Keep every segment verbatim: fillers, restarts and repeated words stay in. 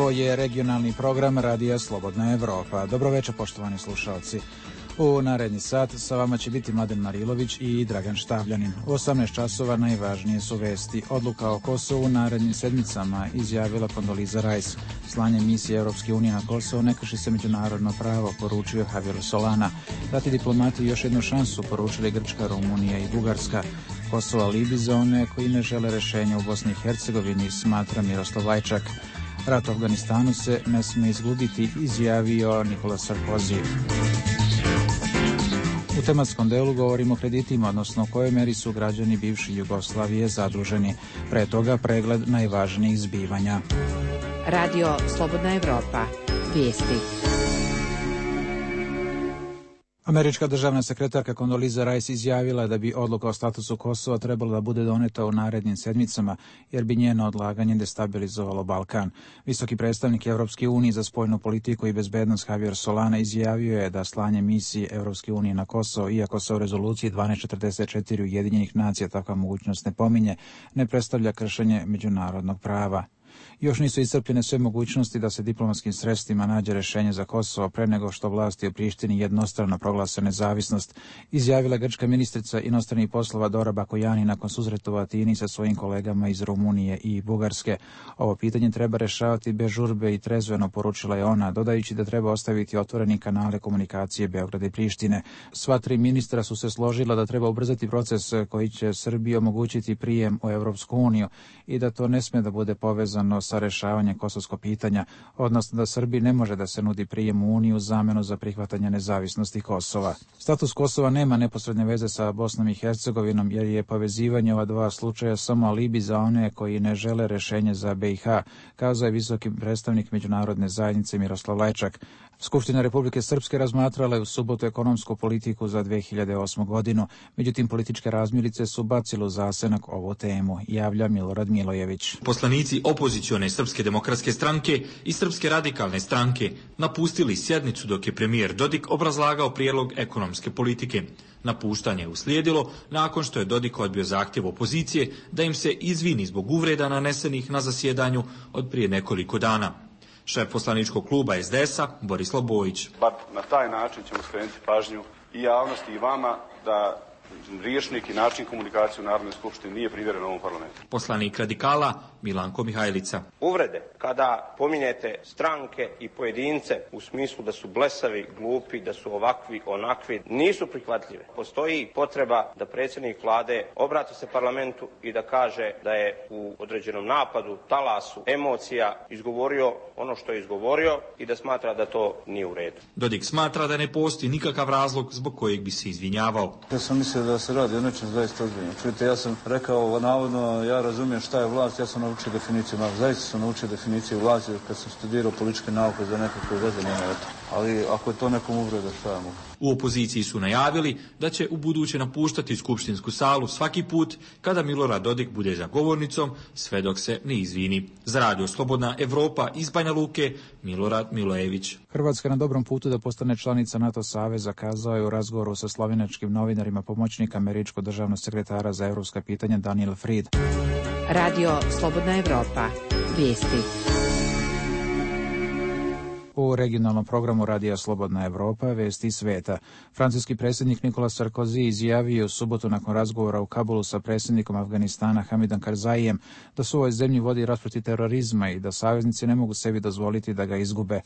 Ovo je regionalni program Radija Slobodna Evropa. Dobro večer, poštovani slušalci. U naredni sat sa vama će biti Mladen Marilović i Dragan Štavljanin. U osamnaest časova najvažnije su vesti. Odluka o Kosovu u narednim sedmicama, izjavila Kondoliza Rice. Slanje misije Europske unije na Kosovo ne krši se međunarodno pravo, poručio Javier Solana. Dati diplomati još jednu šansu, poručili Grčka, Rumunija i Bugarska. Kosovo alibi za one koji ne žele rešenja u Bosni i Hercegovini, smatra Miroslav Lajčak. Rat u Afganistanu se ne sme izgubiti, izjavio Nikola Sarkozy. U tematskom delu govorimo o kreditima, odnosno u kojoj meri su građani bivše Jugoslavije zaduženi. Pre toga pregled najvažnijih zbivanja. Radio Slobodna Evropa. Vijesti. Američka državna sekretarka Kondoliza Rice izjavila da bi odluka o statusu Kosova trebala da bude doneta u narednim sedmicama, jer bi njeno odlaganje destabilizovalo Balkan. Visoki predstavnik Evropske unije za spoljnu politiku i bezbednost Javier Solana izjavio je da slanje misije Evropske unije na Kosovo, iako se u rezoluciji dvanaest četrdeset četiri Ujedinjenih nacija takva mogućnost ne pominje, ne predstavlja kršenje međunarodnog prava. Još nisu iscrpljene sve mogućnosti da se diplomatskim sredstvima nađe rešenje za Kosovo pre nego što vlasti u Prištini jednostrano proglase nezavisnost, izjavila grčka ministrica inostranih poslova Dora Bakojani nakon susreta u Atini sa svojim kolegama iz Rumunije i Bugarske. Ovo pitanje treba rešavati bez žurbe i trezveno, poručila je ona, dodajući da treba ostaviti otvoreni kanale komunikacije Beograda i Prištine. Sva tri ministra su se složila da treba ubrzati proces koji će Srbiji omogućiti prijem u Evropsku uniju i da to ne sme da bude povezano sa rešavanjem kosovskog pitanja, odnosno da Srbiji ne može da se nudi prijem u Uniju u zamenu za prihvatanje nezavisnosti Kosova. Status Kosova nema neposredne veze sa Bosnom i Hercegovinom, jer je povezivanje ova dva slučaja samo alibi za one koji ne žele rešenje za B i H, kazao je visoki predstavnik međunarodne zajednice Miroslav Lajčak. Skupština Republike Srpske razmatrala je u subotu ekonomsku politiku za dve hiljade osmu godinu, međutim političke razmirice su bacile u zasenak ovu temu, javlja Milorad Milojević. Poslanici opozicione Srpske demokratske stranke i Srpske radikalne stranke napustili sjednicu dok je premijer Dodik obrazlagao prijedlog ekonomske politike. Napuštanje je uslijedilo nakon što je Dodik odbio zahtjev opozicije da im se izvini zbog uvreda nanesenih na zasjedanju od prije nekoliko dana. Šef poslaničkog kluba S D S-a Borislav Bojić. Bar na taj način ćemo skrenuti pažnju i javnosti i vama da rječnik i način komunikacije u Narodnoj skupštini nije primjeren ovom parlamentu. Poslanik radikala Milanko Mihajlica. Uvrede, kada pominjete stranke i pojedince u smislu da su blesavi, glupi, da su ovakvi, onakvi, nisu prihvatljive. Postoji potreba da predsjednik vlade obrati se parlamentu i da kaže da je u određenom napadu, talasu, emocija izgovorio ono što je izgovorio i da smatra da to nije u redu. Dodik smatra da ne postoji nikakav razlog zbog kojeg bi se izvinjavao. Ja sam mislio da se radi o nečem zaista ozbiljno. Čujte, ja sam rekao, navodno, ja razumijem šta je vlast, ja sam naučio definiciju, zaista sam naučio definiciju vlasti kad sam studirao političke nauke za nekakve veze, nema eto. Ali ako je to nekom uvreda, šta ja mogu? U opoziciji su najavili da će u buduće napuštati skupštinsku salu svaki put kada Milorad Dodik bude za govornicom, sve dok se ne izvini. Za Radio Slobodna Evropa iz Banja Luke, Milorad Milojević. Hrvatska na dobrom putu da postane članica NATO saveza, kazao je u razgovoru sa slovenačkim novinarima pomoćnik američkog državnog sekretara za evropska pitanja Daniel Fried. Radio Slobodna Evropa. Vijesti. U regionalnom programu Radija Slobodna Evropa vesti sveta. Francuski predsjednik Nikola Sarkozy izjavio u subotu nakon razgovora u Kabulu sa predsjednikom Afganistana Hamidom Karzaijem da su u ovoj zemlji vodi rat protiv terorizma i da saveznici ne mogu sebi dozvoliti da ga izgube.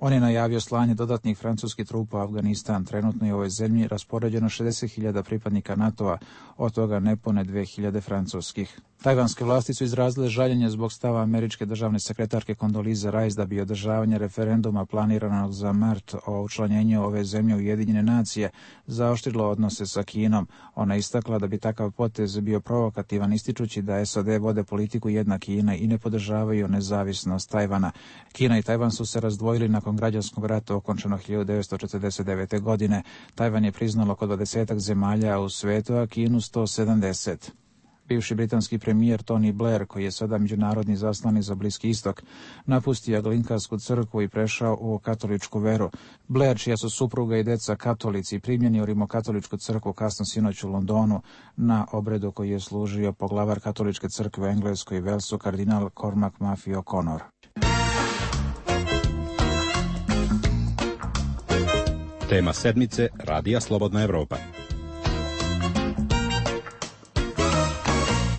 On je najavio slanje dodatnih francuskih trupa u Afganistan. Trenutno je u ovoj zemlji raspoređeno šezdeset hiljada pripadnika NATO-a, od toga nepune dve hiljade francuskih. Tajvanske vlasti su izrazile žaljenje zbog stava američke državne sekretarke Kondolize Rice da bi održavanje referenduma planiranog za mart o učlanjenju ove zemlje u Ujedinjene nacije zaoštrilo odnose sa Kinom. Ona istakla da bi takav potez bio provokativan, ističući da S A D vode politiku jedna Kina i ne podržavaju nezavisnost Tajvana. Kina i Tajvan su se razdvojili nakon građanskog rata okončanog hiljadu devetsto četrdeset devete. godine. Tajvan je priznalo oko dvadesetak zemalja u svetu, a Kinu sto sedamdeset. Bivši britanski premijer Tony Blair, koji je sada međunarodni zaslanik za Bliski istok, napustio Anglikansku crkvu i prešao u katoličku veru. Blair, čija su supruga i deca katolici, primljen je u Rimokatoličku crkvu kasno sinoć u Londonu na obredu koji je služio poglavar katoličke crkve u Engleskoj i Velsu, kardinal Cormac Maffei O'Connor. Tema sedmice Radija Slobodna Evropa.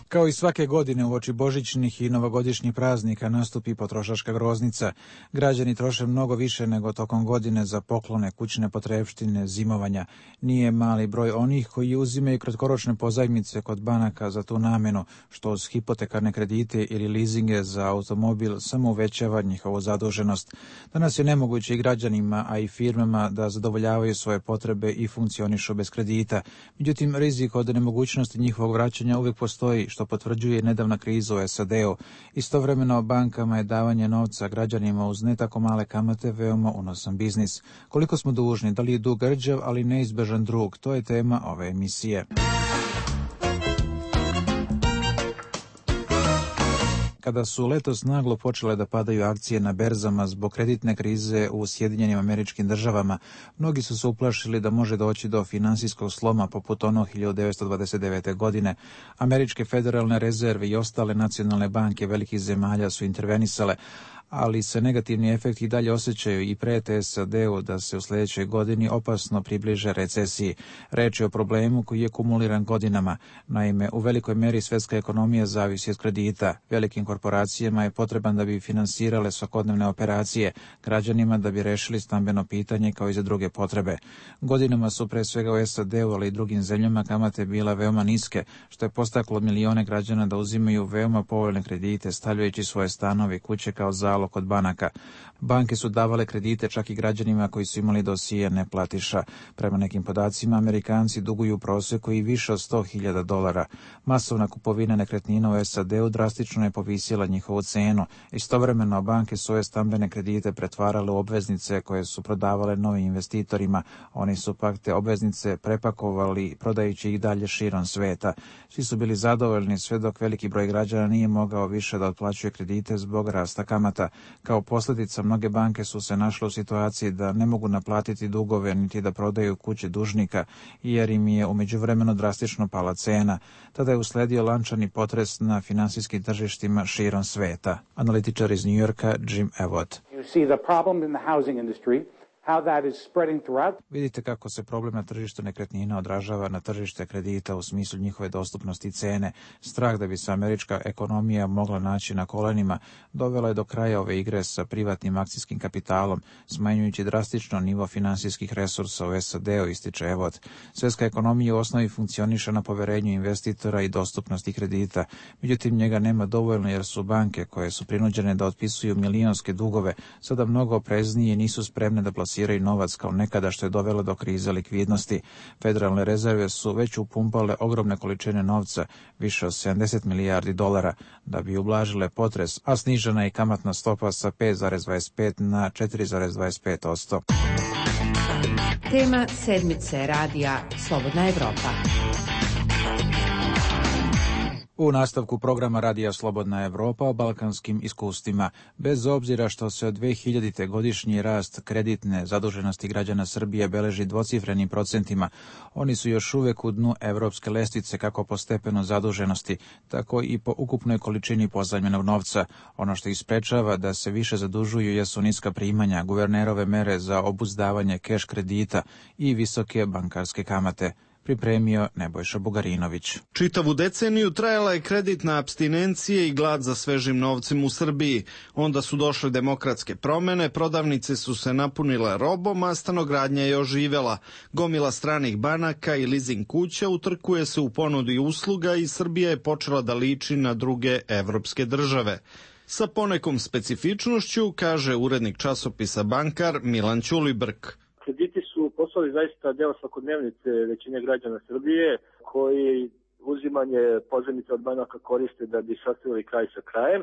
Kao i svake godine uoči božićnih i novogodišnjih praznika nastupi potrošačka groznica. Građani troše mnogo više nego tokom godine za poklone, kućne potrepštine, zimovanja. Nije mali broj onih koji uzimaju kratkoročne pozajmice kod banaka za tu namenu, što uz hipotekarne kredite ili lizinge za automobil samo uvećava njihovu zaduženost. Danas je nemoguće i građanima, a i firmama da zadovoljavaju svoje potrebe i funkcionišu bez kredita. Međutim, rizik od nemogućnosti njihovog vraćanja uvijek postoji, što potvrđuje nedavna kriza u S A D-u. Istovremeno bankama je davanje novca građanima uz ne tako male kamate veoma unosan biznis. Koliko smo dužni, da li je dug rđav, ali neizbežan drug, to je tema ove emisije. Kada su letos naglo počele da padaju akcije na berzama zbog kreditne krize u Sjedinjenim Američkim Državama, mnogi su se uplašili da može doći do finansijskog sloma poput onog hiljadu devetsto dvadeset devete. godine. Američke federalne rezerve i ostale nacionalne banke velikih zemalja su intervenisale, ali se negativni efekti i dalje osjećaju i prete S A D-u da se u sljedećoj godini opasno približe recesiji. Reč je o problemu koji je kumuliran godinama. Naime, u velikoj meri svetska ekonomija zavisi od kredita. Velikim korporacijama je potreban da bi finansirale svakodnevne operacije, građanima da bi rešili stambeno pitanje kao i za druge potrebe. Godinama su pre svega u S A D-u, ali i drugim zemljama kamate bila veoma niske, što je postaklo milione građana da uzimaju veoma povoljne kredite, stavljajući svoje stanove i kuće kao zalog kod banaka. Banke su davale kredite čak i građanima koji su imali dosije neplatiša. Prema nekim podacima, Amerikanci duguju u proseku i više od sto hiljada dolara. Masovna kupovina nekretnina u S A D-u drastično je povisila njihovu cenu. Istovremeno, banke svoje stambene kredite pretvarale u obveznice koje su prodavale novim investitorima. Oni su pak te obveznice prepakovali, prodajući ih dalje širom sveta. Svi su bili zadovoljni sve dok veliki broj građana nije mogao više da otplaćuje kredite zbog rasta kamata. Kao posljedica, mnoge banke su se našle u situaciji da ne mogu naplatiti dugove niti da prodaju kuće dužnika, jer im je u međuvremenu drastično pala cena. Tada je usledio lančani potres na finansijskim tržištima širom sveta. Analitičar iz New Yorka Jim Abbott. You see the problem in the housing industry. How that is spreading throughout. Vidite kako se problem na tržištu nekretnina odražava na tržište kredita u smislu njihove dostupnosti i cene. Strah da bi se američka ekonomija mogla naći na kolenima dovela je do kraja ove igre sa privatnim akcijskim kapitalom, smanjujući drastično nivo finansijskih resursa u S A D-u, ističe Evot. Svetska ekonomija u osnovi funkcioniše na poverenju investitora i dostupnosti kredita. Međutim, njega nema dovoljno jer su banke koje su prinuđene da otpisuju milionske dugove sada mnogo opreznije i nisu spremne da plasiraju i novac kao nekada, što je dovelo do krize likvidnosti. Federalne rezerve su već upumpale ogromne količine novca, više od sedamdeset milijardi dolara, da bi ublažile potres, a snižena je kamatna stopa sa pet zarez dvadeset pet na četiri zarez dvadeset pet posto. Tema sedmice Radija Slobodna Evropa. U nastavku programa Radija Slobodna Evropa o balkanskim iskustvima. Bez obzira što se od dve hiljadite godišnji rast kreditne zaduženosti građana Srbije beleži dvocifrenim procentima, oni su još uvek u dnu evropske lestvice kako po stepenu zaduženosti, tako i po ukupnoj količini pozajmljenog novca. Ono što ih sprečava da se više zadužuju jesu niska primanja, guvernerove mere za obuzdavanje keš kredita i visoke bankarske kamate. Pripremio Nebojša Bugarinović. Čitavu deceniju trajala je kreditna apstinencija i glad za svežim novcem u Srbiji. Onda su došle demokratske promene, prodavnice su se napunile robom, a stanogradnja je oživela. Gomila stranih banaka i lizing kuća utrkuje se u ponudi usluga i Srbija je počela da liči na druge evropske države. Sa ponekom specifičnošću, kaže urednik časopisa Bankar Milan Ćulibrk. Krediti su postali zaista deo svakodnevnice većine građana Srbije, koji uzimanje pozajmica od banaka koriste da bi sastavili kraj sa krajem,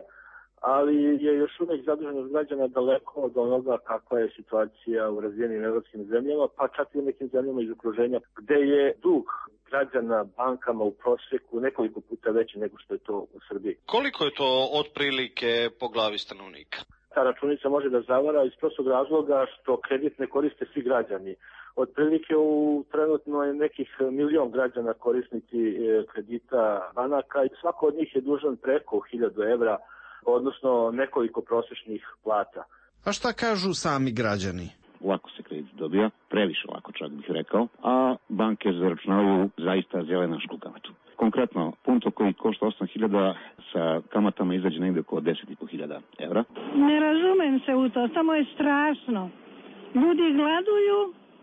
ali je još uvek zaduženost građana daleko od onoga kakva je situacija u razvijenim evropskim zemljama, pa čak i u nekim zemljama iz okruženja, gde je dug građana bankama u proseku nekoliko puta veći nego što je to u Srbiji. Koliko je to otprilike po glavi stanovnika? Ta računica može da zavara iz prostog razloga što kredit ne koriste svi građani. Otprilike u trenutno je nekih milion građana korisnici kredita banaka i svako od njih je dužan preko hiljadu evra, odnosno nekoliko prosečnih plata. A šta kažu sami građani? Lako se kredit dobija, previše lako, čak bih rekao, a banke zaračunavaju zaista zelenašku kamatu. Konkretno, punto koji košta osam hiljada sa kamatama izađe negde oko deset i po hiljada evra. Ne razumem se u to, samo je strašno. Ljudi gladuju,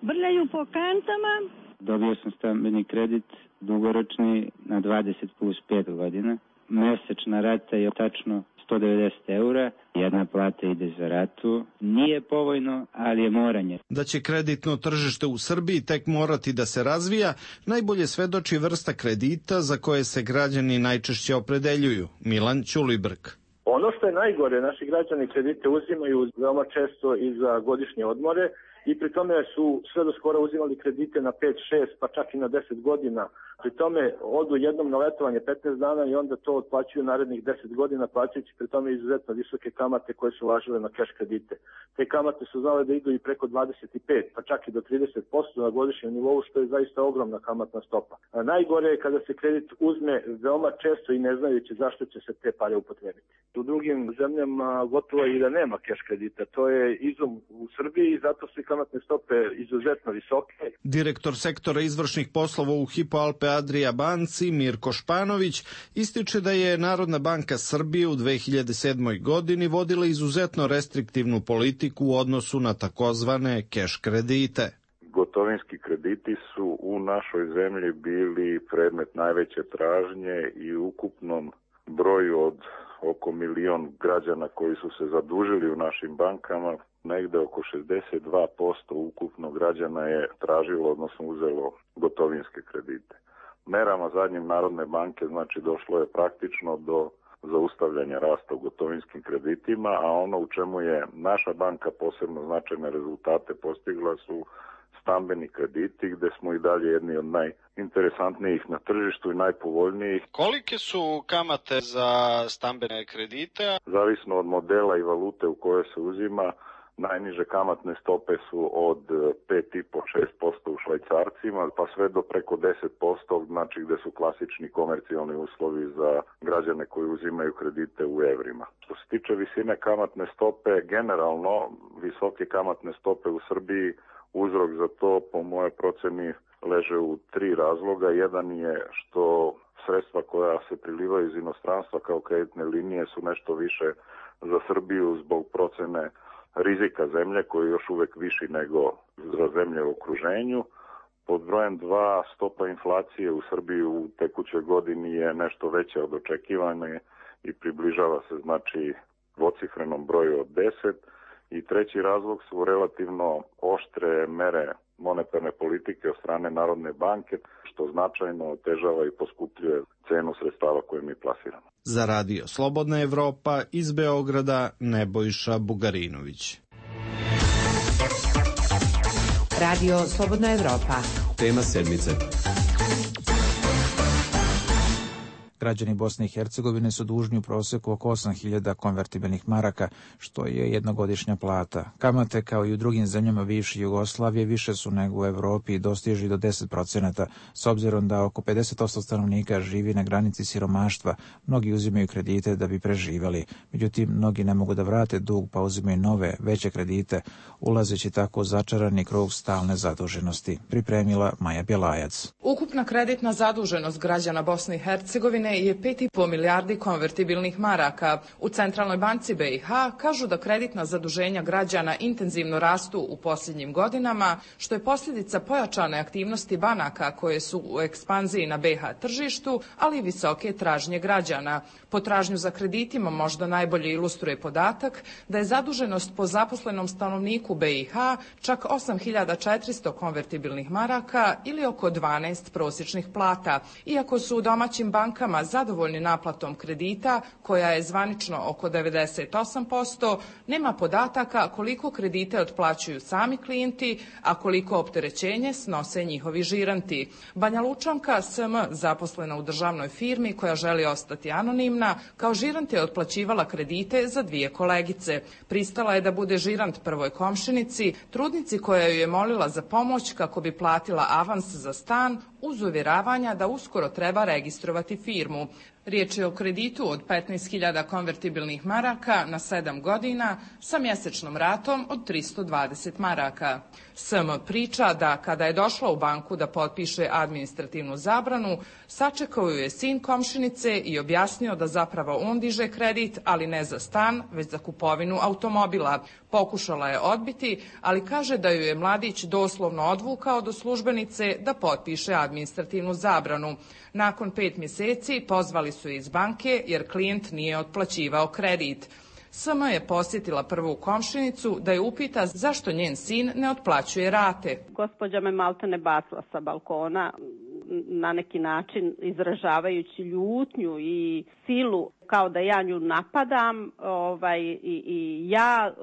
brljaju po kantama. Dobio sam stambeni kredit dugoročni na dvadeset plus pet godina. Mesečna rata je tačno sto devedeset eura, jedna plata ide za ratu. Nije povoljno, ali je moranje. Da će kreditno tržište u Srbiji tek morati da se razvija, najbolje svedoči vrsta kredita za koje se građani najčešće opredeljuju. Milan Ćulibrk. Ono što je najgore, naši građani kredite uzimaju veoma često i za godišnje odmore i pri tome su sve do skoro uzimali kredite na pet, šest, pa čak i na deset godina. Pri tome odu jednom na letovanje petnaest dana i onda to otplaćuju narednih deset godina, plaćajući pri tome izuzetno visoke kamate koje su važile na keš kredite. Te kamate su znale da idu i preko dvadeset pet, pa čak i do trideset posto na godišnjem nivou, što je zaista ogromna kamatna stopa. A najgore je kada se kredit uzme veoma često i ne znajući zašto će se te pare upotrebiti. U drugim zemljama gotovo i da nema keš kredita. To je izum u Srbiji i zato su kamatne stope izuzetno visoke. Direktor sektora izvršnih poslova u Hypo Alpe Adria banci Mirko Španović ističe da je Narodna banka Srbije u dve hiljade sedmoj. godini vodila izuzetno restriktivnu politiku u odnosu na takozvane keš kredite. Gotovinski krediti su u našoj zemlji bili predmet najveće tražnje i u ukupnom broju od oko milion građana koji su se zadužili u našim bankama, negde oko šezdeset dva posto ukupno građana je tražilo, odnosno uzelo gotovinske kredite. Merama zadnjim Narodne banke znači došlo je praktično do zaustavljanja rasta u gotovinskim kreditima, a ono u čemu je naša banka posebno značajne rezultate postigla su stambeni krediti, gde smo i dalje jedni od najinteresantnijih na tržištu i najpovoljnijih. Kolike su kamate za stambene kredite? Zavisno od modela i valute u kojoj se uzima, najniže kamatne stope su od pet i po do šest posto u švajcarcima, pa sve do preko deset posto, znači gde su klasični komercijalni uslovi za građane koji uzimaju kredite u evrima. Što se tiče visine kamatne stope, generalno visoke kamatne stope u Srbiji, uzrok za to, po moje proceni, leže u tri razloga. Jedan je što sredstva koja se prilivaju iz inostranstva kao kreditne linije su nešto više za Srbiju zbog procene rizika zemlje koji je još uvek viši nego za zemlje u okruženju. Pod brojem dva, stopa inflacije u Srbiji u tekućoj godini je nešto veća od očekivane i približava se znači dvocifrenom broju od deset. I treći razlog su relativno oštre mere monetarne politike od strane Narodne banke, što značajno otežava i poskupljuje cenu sredstava koje mi plasiramo. Za Radio Slobodna Evropa iz Beograda Nebojša Bugarinović. Radio Slobodna Evropa. Tema sedmice. Građani Bosne i Hercegovine su dužni u proseku oko osam hiljada konvertibilnih maraka, što je jednogodišnja plata. Kamate, kao i u drugim zemljama bivše Jugoslavije, više su nego u Evropi i dostižu do deset procenata, s obzirom da oko pedeset posto stanovnika živi na granici siromaštva. Mnogi uzimaju kredite da bi preživali. Međutim, mnogi ne mogu da vrate dug, pa uzimaju nove, veće kredite, ulazeći tako u začarani krug stalne zaduženosti. Pripremila Maja Bjelajac. Ukupna kreditna zaduženost građana Bosne i Hercegovine je pet i po milijardi konvertibilnih maraka. U Centralnoj banci B i H kažu da kreditna zaduženja građana intenzivno rastu u posljednjim godinama, što je posljedica pojačane aktivnosti banaka koje su u ekspanziji na B i H tržištu, ali i visoke tražnje građana. Potražnju za kreditima možda najbolje ilustruje podatak da je zaduženost po zaposlenom stanovniku B i H čak osam hiljada četiristo konvertibilnih maraka ili oko dvanaest prosječnih plata. Iako su u domaćim bankama zadovoljni naplatom kredita, koja je zvanično oko devedeset osam posto, nema podataka koliko kredite otplaćuju sami klijenti, a koliko opterećenje snose njihovi žiranti. Banja Lučanka S M, zaposlena u državnoj firmi koja želi ostati anonimna, kao žirant je otplaćivala kredite za dvije kolegice. Pristala je da bude žirant prvoj komšinici, trudnici koja ju je molila za pomoć kako bi platila avans za stan, uz uvjeravanja da uskoro treba registrovati firmu. Riječ je o kreditu od petnaest hiljada konvertibilnih maraka na sedam godina sa mjesečnom ratom od tristo dvadeset maraka. S M priča da kada je došla u banku da potpiše administrativnu zabranu, sačekao ju je sin komšinice i objasnio da zapravo on diže kredit, ali ne za stan, već za kupovinu automobila. Pokušala je odbiti, ali kaže da ju je mladić doslovno odvukao do službenice da potpiše administrativnu zabranu. Nakon pet mjeseci pozvali su je iz banke jer klijent nije otplaćivao kredit. S M je posjetila prvu komšinicu da je upita zašto njen sin ne otplaćuje rate. Gospođa me maltene bacila sa balkona, na neki način izražavajući ljutnju i silu, kao da ja nju napadam, ovaj, i, i ja e,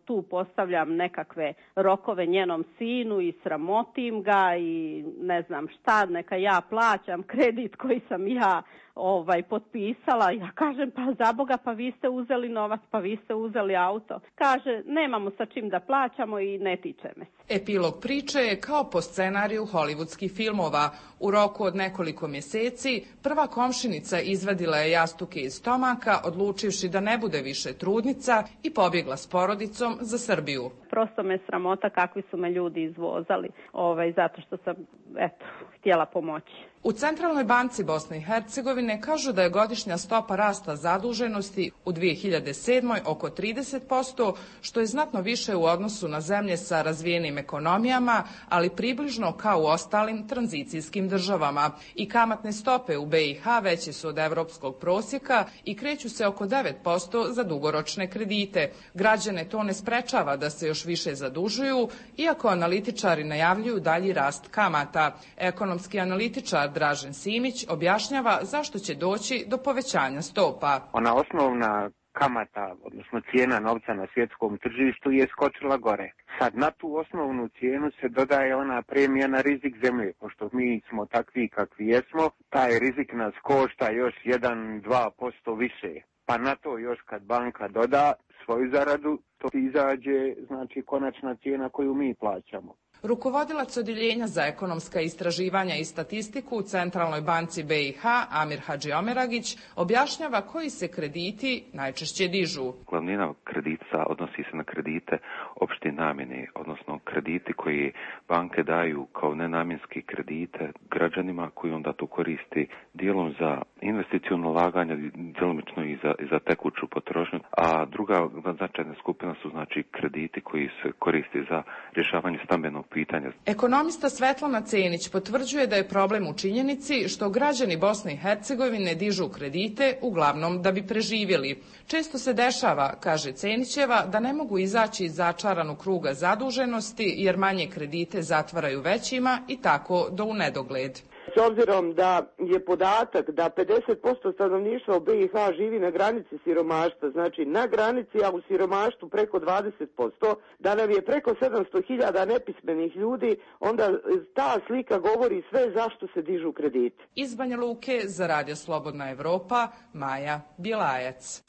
tu postavljam nekakve rokove njenom sinu i sramotim ga i ne znam šta, neka ja plaćam kredit koji sam ja ovaj potpisala. Ja kažem, pa za Boga, pa vi ste uzeli novac, pa vi ste uzeli auto. Kaže, nemamo sa čim da plaćamo i ne tiče me se. Epilog priče je kao po scenariju hollywoodskih filmova. U roku od nekoliko mjeseci prva komšinica izvadila je jastuke iz stomaka, odlučivši da ne bude više trudnica i pobjegla s porodicom za Srbiju. Prosto me sramota kakvi su me ljudi izvozali, ovaj, zato što sam, eto, htjela pomoći. U Centralnoj banci Bosne i Hercegovine kažu da je godišnja stopa rasta zaduženosti u dvije hiljade sedmoj oko trideset posto, što je znatno više u odnosu na zemlje sa razvijenim ekonomijama, ali približno kao u ostalim tranzicijskim državama. I kamatne stope u B i H veće su od evropskog prosjeka i kreću se oko devet posto za dugoročne kredite. Građane to ne sprečava da se još više zadužuju, iako analitičari najavljuju dalji rast kamata. Ekonomski analitičar Dražen Simić objašnjava zašto će doći do povećanja stopa. Ona osnovna kamata, odnosno cijena novca na svjetskom tržištu je skočila gore. Sad na tu osnovnu cijenu se dodaje ona premija na rizik zemlje. Pošto mi smo takvi kakvi jesmo, taj rizik nas košta još jedan do dva posto više. Pa na to još kad banka doda svoju zaradu, to izađe, znači, konačna cijena koju mi plaćamo. Rukovodilac odjeljenja za ekonomska istraživanja i statistiku u Centralnoj banci B i H, Amir Hadžiomeragić, objašnjava koji se krediti najčešće dižu. Glavnina kredita odnosi se na kredite opšte namjene, odnosno krediti koji banke daju kao nenamjenski kredite građanima koji onda to koristi dijelom za investiciono ulaganje, djelomično i za, i za tekuću potrošnju, a druga značajna skupina su znači krediti koji se koriste za rješavanje stambenog pitanja. Ekonomista Svetlana Cenić potvrđuje da je problem u činjenici što građani Bosne i Hercegovine dižu kredite uglavnom da bi preživjeli. Često se dešava, kaže Cenićeva, da ne mogu izaći iz začaranog kruga zaduženosti jer manje kredite zatvaraju većima i tako do u nedogled. S obzirom da je podatak da pedeset posto stanovništva u B i H živi na granici siromaštva, znači na granici, a u siromaštvu preko dvadeset posto, da nam je preko sedamsto hiljada nepismenih ljudi, onda ta slika govori sve zašto se dižu krediti. Iz Banja Luke za Radio Slobodna Evropa, Maja Bjelajac.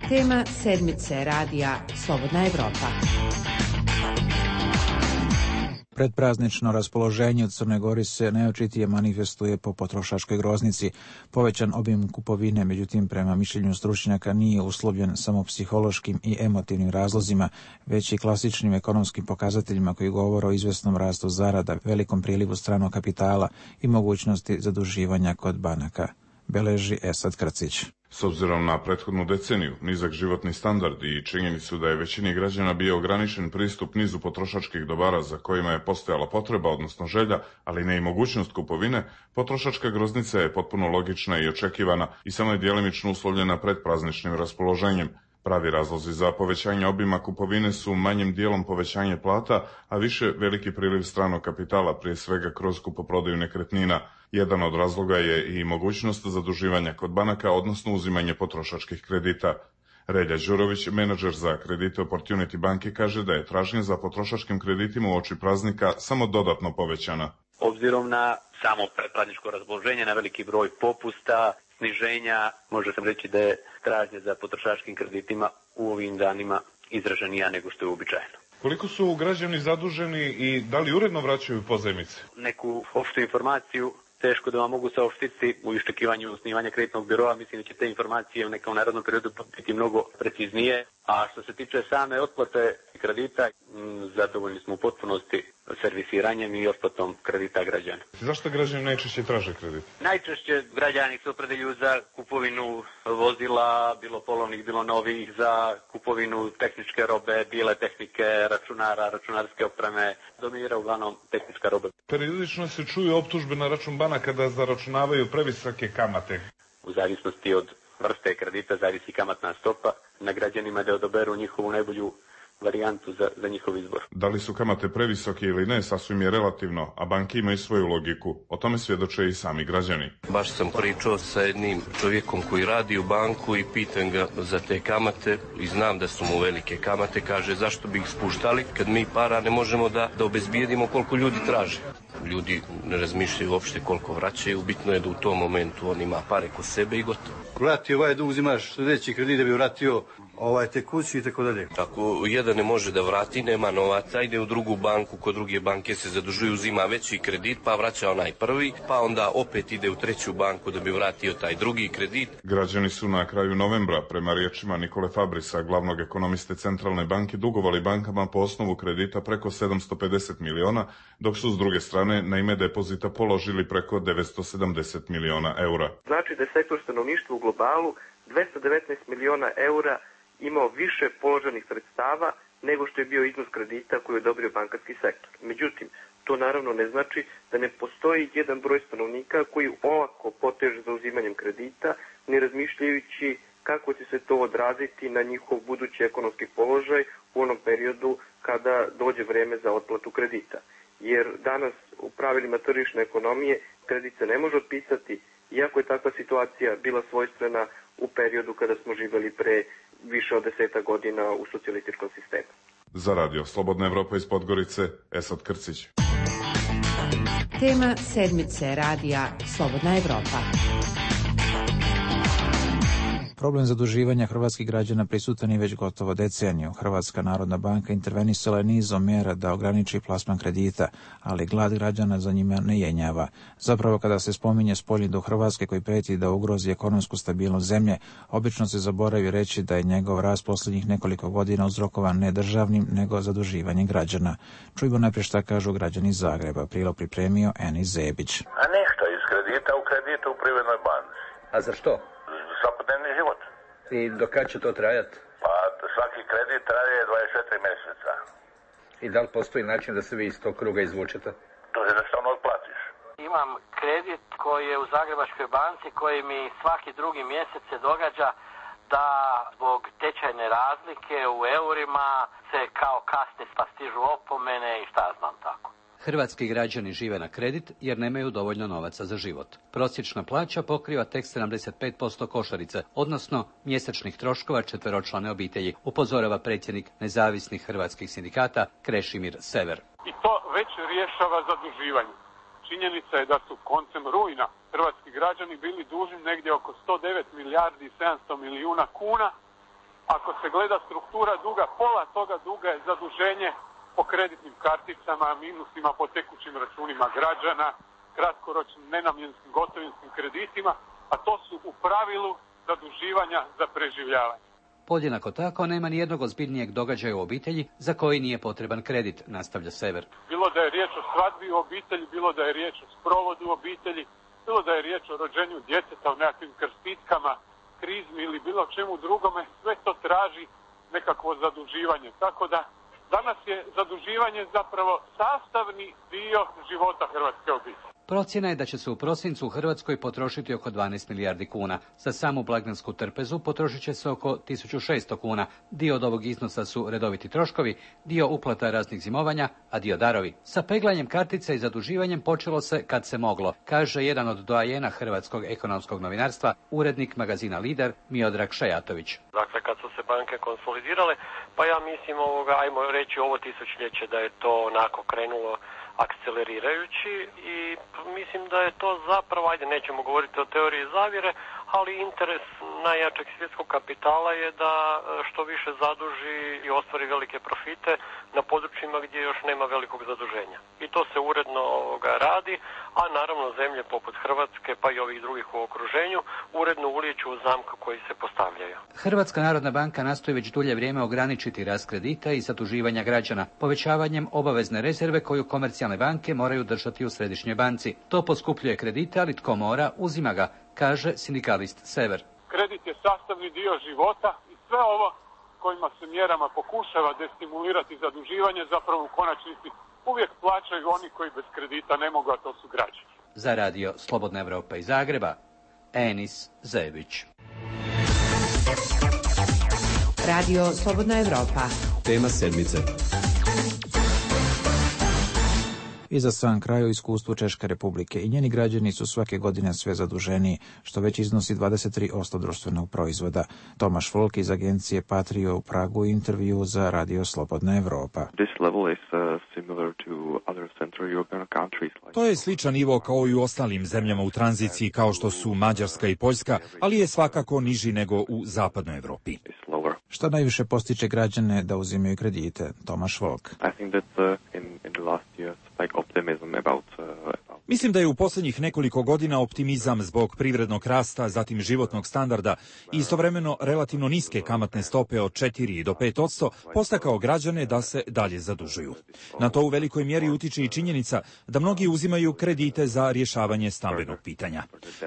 Tema sedmice Radija Slobodna Evropa. Predpraznično raspoloženje u Crnoj Gori se najočitije manifestuje po potrošačkoj groznici. Povećan obim kupovine, međutim, prema mišljenju stručnjaka, nije uslovljen samo psihološkim i emotivnim razlozima, već i klasičnim ekonomskim pokazateljima koji govore o izvesnom rastu zarada, velikom prilivu stranog kapitala i mogućnosti zaduživanja kod banaka. Beleži Esad Krcić. S obzirom na prethodnu deceniju, nizak životni standard i činjenicu da je većini građana bio ograničen pristup nizu potrošačkih dobara za kojima je postojala potreba, odnosno želja, ali ne i mogućnost kupovine, potrošačka groznica je potpuno logična i očekivana i samo je djelimično uslovljena predprazničnim raspoloženjem. Pravi razlozi za povećanje obima kupovine su manjim dijelom povećanje plata, a više veliki priliv stranog kapitala, prije svega kroz kupoprodaju nekretnina. Jedan od razloga je i mogućnost zaduživanja kod banaka, odnosno uzimanje potrošačkih kredita. Relja Đurović, menadžer za kredite Opportunity banke, kaže da je tražnja za potrošačkim kreditima uoči praznika samo dodatno povećana. Obzirom na samo predprazničko raspoloženje, na veliki broj popusta, sniženja, može se reći da je tražnja za potrošačkim kreditima u ovim danima izraženija nego što je uobičajeno. Koliko su građani zaduženi i da li uredno vraćaju pozajmice? Neku opštu informaciju teško da vam mogu saopštiti u iščekivanju osnivanja kreditnog biroa. Mislim da će te informacije u nekom narednom periodu biti mnogo preciznije. A što se tiče same otplate kredita, zadovoljni smo u potpunosti servisiranjem i otplatom kredita građana. Zašto građani najčešće traže kredit? Najčešće građani se opredeljuju za kupovinu vozila, bilo polovnih, bilo novih, za kupovinu tehničke robe, bile tehnike, računara, računarske opreme. Dominira uglavnom tehnička roba. Periodično se čuju optužbe na račun banaka da zaračunavaju previsoke kamate. U zavisnosti od vrste kredita zavisi kamatna stopa. Na građanima da odaberu njihovu najbolju varijantu za, za njihov izbor. Da li su kamate previsoke ili ne, sasvim je relativno, a banke imaju svoju logiku. O tome svjedoče i sami građani. Baš sam pričao sa jednim čovjekom koji radi u banku i pitam ga za te kamate i znam da su mu velike kamate. Kaže, zašto bi ih spuštali kad mi para ne možemo da, da obezbijedimo koliko ljudi traže. Ljudi ne razmišljaju uopšte koliko vraćaju, bitno je da u tom momentu on ima pare kod sebe i gotovo. Vrati ovaj dug, uzimaš sljedeći kredit da bi vratio ovaj tekući i tako dalje. Ako jedan ne može da vrati, nema novaca, ide u drugu banku, kod druge banke se zadužuje, uzima veći kredit, pa vraća onaj prvi, pa onda opet ide u treću banku da bi vratio taj drugi kredit. Građani su na kraju novembra, prema riječima Nikole Fabrisa, glavnog ekonomiste Centralne banke, dugovali bankama po osnovu kredita preko sedamsto pedeset miliona, dok su s druge strane na ime depozita položili preko devetsto sedamdeset miliona eura. Znači da je sektor stanovništva u globalu dvesta devetnaest miliona eura imao više položenih sredstava nego što je bio iznos kredita koji je odobrio bankarski sektor. Međutim, to naravno ne znači da ne postoji jedan broj stanovnika koji olako poteže za uzimanjem kredita, ne razmišljajući kako će se to odraziti na njihov budući ekonomski položaj u onom periodu kada dođe vreme za otplatu kredita. Jer danas u pravilima tržišne ekonomije kredit se ne može otpisati, iako je takva situacija bila svojstvena u periodu kada smo živjeli pre više od deseta godina u socijalističkom sistemu. Za radio Slobodna Evropa iz Podgorice, Esad Krcić. Tema sedmice radija Slobodna Evropa. Problem zaduživanja hrvatskih građana prisutan je već gotovo deceniju. Hrvatska narodna banka intervenisala je nizom mjera da ograniči plasman kredita, ali glad građana za njima ne jenjava. Zapravo kada se spominje spoljni dug Hrvatske koji preti da ugrozi ekonomsku stabilnost zemlje, obično se zaboravi reći da je njegov rast posljednjih nekoliko godina uzrokovan ne državnim, nego zaduživanjem građana. Čujmo najprije šta kažu građani iz Zagreba. Prilog pripremio Enis Zebić. A ništa, iz kredita u kredita u Privrednoj banci. A za što? Svakodnevni život. I do kad će to trajati? Pa svaki kredit traje dvadeset četiri mjeseca. I da li postoji način da se vi iz tog kruga izvučete? To jednostavno otplatiš. Imam kredit koji je u Zagrebačkoj banci koji mi svaki drugi mjesec se događa da zbog tečajne razlike u eurima se kao kasni pa stižu opomene i šta znam tako. Hrvatski građani žive na kredit jer nemaju dovoljno novaca za život. Prosječna plaća pokriva tek sedamdeset pet posto košarice, odnosno mjesečnih troškova četveročlane obitelji, upozorava predsjednik nezavisnih hrvatskih sindikata Krešimir Sever. I to već rješava zaduživanje. Činjenica je da su koncem rujna hrvatski građani bili dužni negdje oko sto devet milijardi i sedamsto milijuna kuna. Ako se gleda struktura duga, pola toga duga je zaduženje po kreditnim karticama, minusima po tekućim računima građana, kratkoročnim nenamjenskim gotovinskim kreditima, a to su u pravilu zaduživanja za preživljavanje. Podjednako tako nema ni jednog ozbiljnijeg događaja u obitelji za koji nije potreban kredit, nastavlja Sever. Bilo da je riječ o svadbi u obitelji, bilo da je riječ o sprovodu u obitelji, bilo da je riječ o rođenju djeteta u nekakvim krstitkama, krizmi ili bilo čemu drugome, sve to traži nekakvo zaduživanje. Tako da danas je zaduživanje zapravo sastavni dio života hrvatske obitelji. Procjena je da će se u prosincu u Hrvatskoj potrošiti oko dvanaest milijardi kuna. Za samu blagdansku trpezu potrošit će se oko tisuću šesto kuna. Dio od ovog iznosa su redoviti troškovi, dio uplata raznih zimovanja, a dio darovi. Sa peglanjem kartice i zaduživanjem počelo se kad se moglo, kaže jedan od doajena hrvatskog ekonomskog novinarstva, urednik magazina Lider Miodrag Šajatović. Dakle, kad su se banke konsolidirale, pa ja mislim ovoga, ajmo reći ovo tisućljeće da je to onako krenulo akcelerirajući i mislim da je to zapravo, ajde nećemo govoriti o teoriji zavjere, ali interes najjačeg svjetskog kapitala je da što više zaduži i ostvari velike profite na područjima gdje još nema velikog zaduženja. I to se uredno ovoga radi, a naravno zemlje poput Hrvatske pa i ovih drugih u okruženju uredno ulijeću u zamku koji se postavljaju. Hrvatska narodna banka nastoji već dulje vrijeme ograničiti rast kredita i zaduživanja građana povećavanjem obavezne rezerve koju komercijalne banke moraju držati u središnjoj banci. To poskupljuje kredite, ali tko mora, uzima ga, kaže sindikalist Sever. Kredit je sastavni dio života i sve ovo kojima se mjerama pokušava destimulirati zaduživanje, zapravo u konačnici uvijek plaćaju oni koji bez kredita ne mogu, a to su građani. Za radio Slobodna Evropa iz Zagreba, Enis Zebić. Radio Slobodna Evropa. Tema sedmice. I za sam kraj u iskustvu Češke Republike i njeni građani su svake godine sve zaduženiji, što već iznosi dvadeset tri posto društvenog proizvoda. Tomaš Volk iz agencije Patrio u Pragu intervju za Radio Slobodna Evropa. To je sličan nivo kao i u ostalim zemljama u tranziciji kao što su Mađarska i Poljska, ali je svakako niži nego u zapadnoj Evropi. Šta najviše postiče građane da uzimaju kredite? Tomaš Volk. Mislim da je u posljednjih nekoliko godina optimizam zbog privrednog rasta, zatim životnog standarda i istovremeno relativno niske kamatne stope od četiri do pet posto postakao građane da se dalje zadužuju. Na to u velikoj mjeri utiče i činjenica da mnogi uzimaju kredite za rješavanje stambenog pitanja.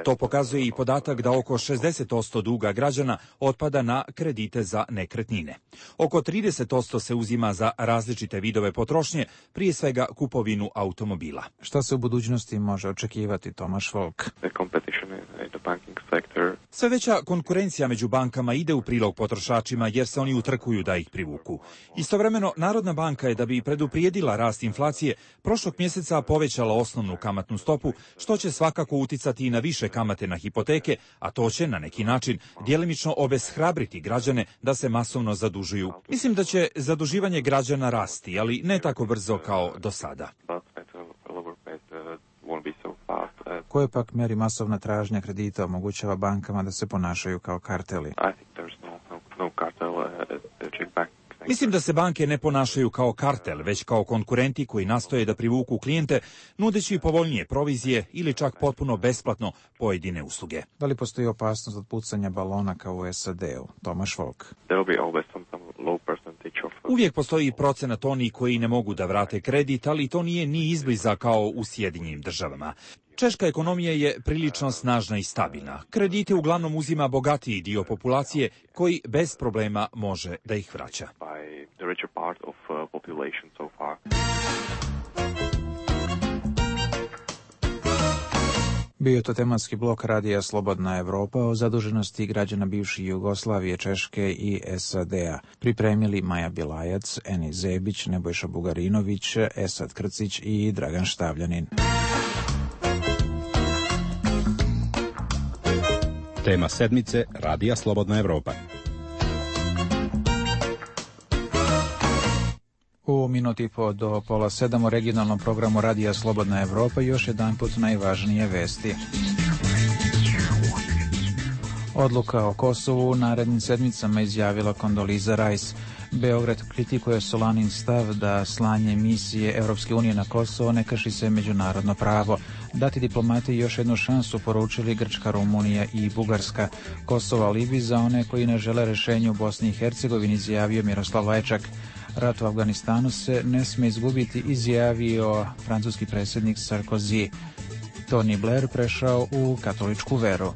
To pokazuje i podatak da oko šezdeset posto duga građana otpada na kredite za nekretnine. Oko trideset posto se uzima za različite vidove potrošnje, prije svega kupovinu automobila. Šta se u budućnosti može očekivati, Tomaš Volk? Sve veća konkurencija među bankama ide u prilog potrošačima jer se oni utrkuju da ih privuku. Istovremeno, Narodna banka je da bi preduprijedila rast inflacije prošlog mjeseca povećala osnovnu kamatnu stopu, što će svakako uticati i na više kamate na hipoteke, a to će na neki način djelimično obeshrabriti građane da se masovno zadužuju. Mislim da će zaduživanje građana rasti, ali ne tako brzo kao do sada. Koje pak mjeri masovna tražnja kredita omogućava bankama da se ponašaju kao karteli? Mislim da se banke ne ponašaju kao kartel, već kao konkurenti koji nastoje da privuku klijente, nudeći povoljnije provizije ili čak potpuno besplatno pojedine usluge. Da li postoji opasnost od pucanja balona kao u S A D-u? Tomaš Volk. Uvijek postoji procenat onih koji ne mogu da vrate kredit, ali to nije ni izbliza kao u Sjedinjenim državama. Češka ekonomija je prilično snažna i stabilna. Kredite uglavnom uzima bogatiji dio populacije koji bez problema može da ih vraća. Bio je to tematski blok Radija Slobodna Evropa o zaduženosti građana bivše Jugoslavije, Češke i S A D-a. Pripremili Maja Bilajac, Enis Zebić, Nebojša Bugarinović, Esad Krcić i Dragan Štavljanin. Tema sedmice Radija Slobodna Evropa. U minuti po do pola sedam u regionalnom programu Radija Slobodna Evropa još jedan put najvažnije vesti. Odluka o Kosovu u narednim sedmicama izjavila Kondoliza Rice. Beograd kritikuje Solanin stav da slanje misije Evropske unije na Kosovo ne krši se međunarodno pravo. Dati diplomati još jednu šansu, poručili Grčka, Rumunija i Bugarska. Kosovo alibi za one koji ne žele rješenje u Bosni i Hercegovini, izjavio Miroslav Lajčak. Rat u Afganistanu se ne sme izgubiti, izjavio francuski predsjednik Sarkozy. Tony Blair prešao u katoličku veru.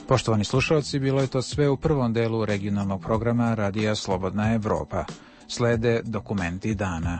Poštovani slušalci, bilo je to sve u prvom delu regionalnog programa Radija Slobodna Evropa. Slede dokumenti dana.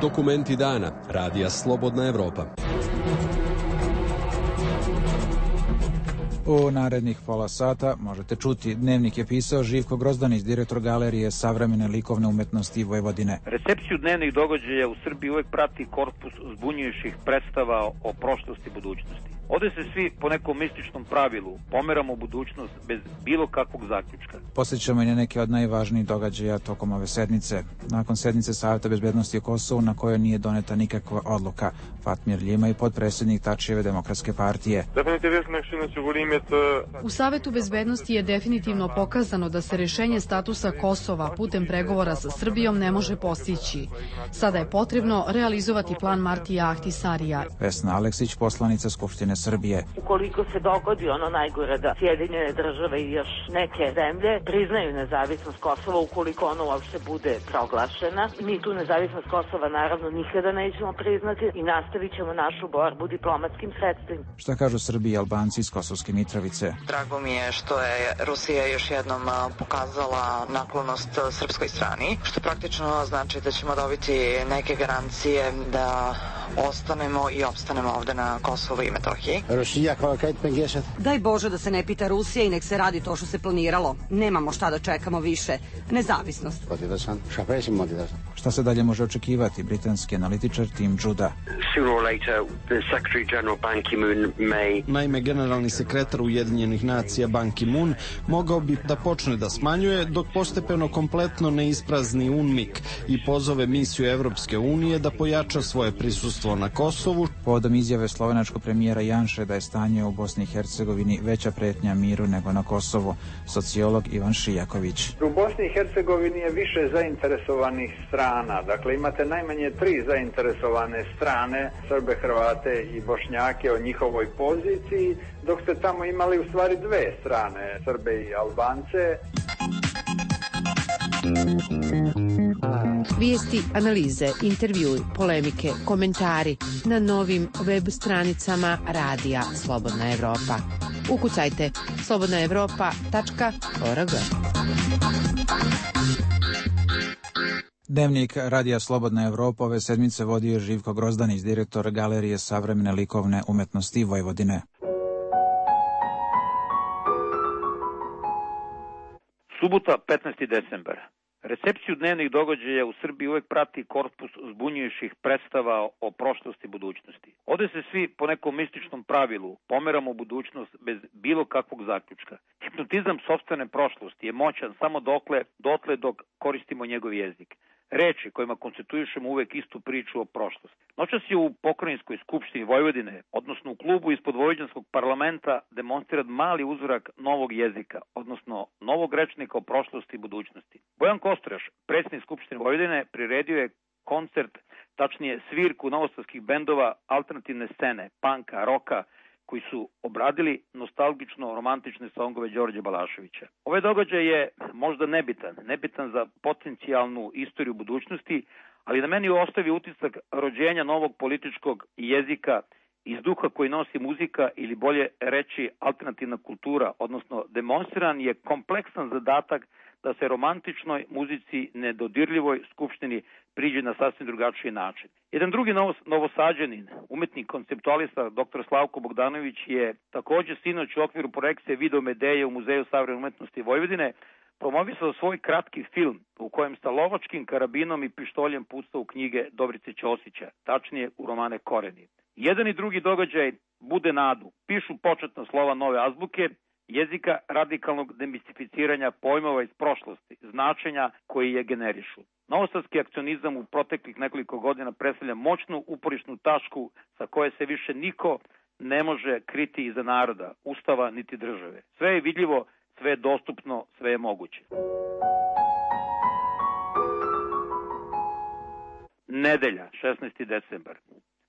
Dokumenti dana Radija Slobodna Evropa. U narednih pola sata možete čuti. Dnevnik je pisao Živko Grozdanić, direktor Galerije savremene likovne umetnosti Vojvodine. Recepciju dnevnih događaja u Srbiji uvek prati korpus zbunjujućih predstava o prošlosti i budućnosti. Ovde se svi po nekom mističnom pravilu pomeramo u budućnost bez bilo kakvog zaključka. Posjećamo i na neke od najvažnijih događaja tokom ove sednice. Nakon sednice Saveta bezbednosti o Kosovu na kojoj nije doneta nikakva odluka, Fatmir Ljima i podpredsjednik Tačijeve demokratske partije. U Savetu bezbednosti je definitivno pokazano da se rešenje statusa Kosova putem pregovora sa Srbijom ne može postići. Sada je potrebno realizovati plan Martija Ahtisarija. Vesna Aleksić, poslanica Skupštine Srbije. Ukoliko se dogodi ono najgore da Sjedinjene države i još neke zemlje priznaju nezavisnost Kosova, ukoliko ono uopšte bude proglašena, mi tu nezavisnost Kosova naravno nikada nećemo priznati i nastavit ćemo našu borbu diplomatskim sredstvima. Šta kažu Srbi i Albanci iz Kosovske Mitrovice? Drago mi je što je Rusija još jednom pokazala naklonost srpskoj strani, što praktično znači da ćemo dobiti neke garancije da ostanemo i opstanemo ovde na Kosovu i Metohiji. Daj Bože da se ne pita Rusija i nek se radi to što se planiralo. Nemamo šta da čekamo više. Nezavisnost. Šta se dalje može očekivati? Britanski analitičar Tim Juda. Naime, generalni sekretar Ujedinjenih nacija Ban Ki-moon mogao bi da počne da smanjuje dok postepeno kompletno ne isprazni UNMIK i pozove misiju Evropske unije da pojača svoje prisustvo na Kosovu. Povodom izjave slovenačkog premijera Janše da je stanje u Bosni i Hercegovini veća pretnja miru nego na Kosovu. Sociolog Ivan Šijaković. U Bosni i Hercegovini je više zainteresovanih strana. Dakle, imate najmanje tri zainteresovane strane, Srbe, Hrvate i Bošnjake o njihovoj poziciji, dok ste tamo imali u stvari dve strane, Srbe i Albance. Vijesti, analize, intervjui, polemike, komentari na novim web stranicama Radija Slobodna Evropa. Ukucajte slobodna evropa tačka org. Dnevnik Radija Slobodna Evropa ove sedmice vodio Živko Grozdanić, direktor Galerije savremene likovne umetnosti Vojvodine. Subota, petnaesti decembar. Recepciju dnevnih događaja u Srbiji uvek prati korpus zbunjujućih predstava o prošlosti i budućnosti. Ovde se svi po nekom mističnom pravilu pomeramo u budućnost bez bilo kakvog zaključka. Hipnotizam sopstvene prošlosti je moćan samo dokle, dotle dok koristimo njegov jezik. Reči kojima konstituišemo uvek istu priču o prošlosti. Noćas je u pokrajinskoj skupštini Vojvodine, odnosno u klubu ispod vojvođanskog parlamenta, demonstriran mali uzorak novog jezika, odnosno novog rečnika o prošlosti i budućnosti. Bojan Kostraš, predsjednik Skupštine Vojvodine, priredio je koncert, tačnije svirku novosadskih bendova alternativne scene, panka, roka, koji su obradili nostalgično romantične songove Đorđe Balaševića. Ovaj događaj je možda nebitan, nebitan za potencijalnu istoriju budućnosti, ali na meni ostavi utisak rođenja novog političkog jezika iz duha koji nosi muzika ili bolje reći alternativna kultura, odnosno demonstriran je kompleksan zadatak da se romantičnoj muzici nedodirljivoj skupštini priđe na sasvim drugačiji način. Jedan drugi novos, novosađanin, umetnik konceptualista dr. Slavko Bogdanović je takođe sinoć u okviru projekcije Video Medeje u Muzeju savremene umetnosti Vojvodine promovisao svoj kratki film u kojem sa lovačkim karabinom i pištoljem pucao u knjige Dobrice Ćosića, tačnije u romane Koreni. Jedan i drugi događaj bude nadu, pišu početna slova nove azbuke, jezika radikalnog demistificiranja pojmova iz prošlosti, značenja koji je generišu. Novosadski akcionizam u proteklih nekoliko godina predstavlja moćnu uporišnu tačku sa koje se više niko ne može kriti iza naroda, ustava niti države. Sve je vidljivo, sve je dostupno, sve je moguće. Nedelja, šesnaesti decembar.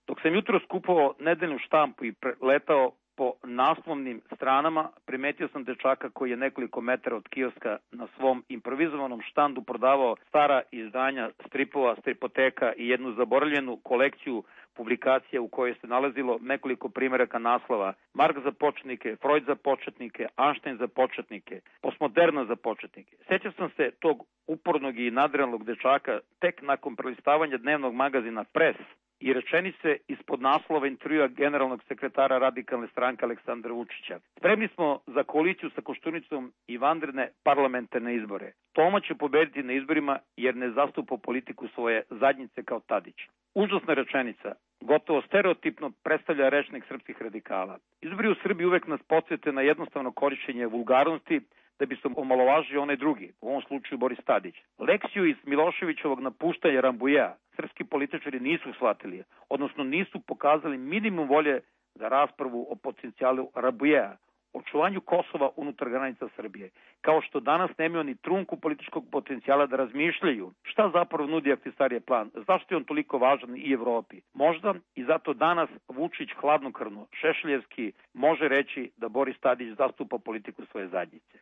Dok sam jutro skupovao nedeljnu štampu i letao po naslovnim stranama, primetio sam dečaka koji je nekoliko metara od kioska na svom improvizovanom štandu prodavao stara izdanja stripova, stripoteka i jednu zaboravljenu kolekciju publikacija u kojoj se nalazilo nekoliko primjeraka naslova: Mark za početnike, Freud za početnike, Einstein za početnike, postmoderna za početnike. Sjećam sam se tog upornog i nadrealnog dečaka tek nakon prelistavanja dnevnog magazina Press i rečenice ispod naslova intervjua generalnog sekretara radikalne stranke Aleksandra Vučića: spremni smo za koaliciju sa Koštunicom i vanredne parlamentarne izbore. Toma će pobediti na izborima jer ne zastupa politiku svoje zadnjice kao Tadić. Užasna rečenica, gotovo stereotipno predstavlja rečnik srpskih radikala. Izbori u Srbiji uvek nas podsjete na jednostavno korišćenje vulgarnosti da bi se omalovažio onaj drugi, u ovom slučaju Boris Tadić. Lekciju iz Miloševićevog napuštanja Rambujea srpski političari nisu shvatili, odnosno nisu pokazali minimum volje za raspravu o potencijalu Rambujea, očuvanju Kosova unutar granica Srbije, kao što danas nemaju ni trunku političkog potencijala da razmišljaju šta zapravo nudi Ahtisarije plan, zašto je on toliko važan i Evropi. Možda i zato danas Vučić hladnokrvno, šešeljevski može reći da Boris Tadić zastupa politiku svoje zadnjice.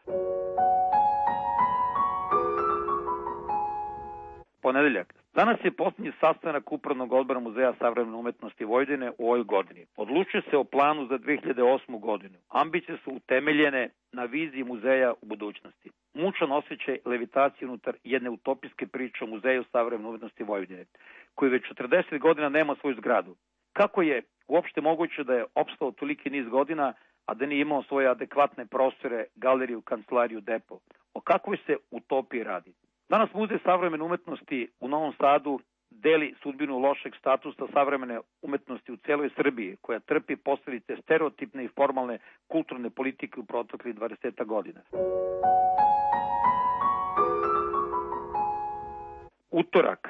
Ponedeljak. Danas je posljednji sastanak Upravnog odbora Muzeja savremene umetnosti Vojvodine u ovoj godini. Odlučuje se o planu za dve hiljade osmu godinu. Ambicije su utemeljene na viziji muzeja u budućnosti. Mučan osjećaj levitacije unutar jedne utopijske priče o Muzeju savremene umetnosti Vojvodine, koji već četrdeset godina nema svoju zgradu. Kako je uopšte moguće da je opstao toliki niz godina, a da nije imao svoje adekvatne prostore, galeriju, kancelariju, depo? O kakvoj se utopiji radi? Danas Muzej savremene umetnosti u Novom Sadu deli sudbinu lošeg statusa savremene umetnosti u celoj Srbiji, koja trpi posljedice stereotipne i formalne kulturne politike u proteklih dvadeset godina. Utorak.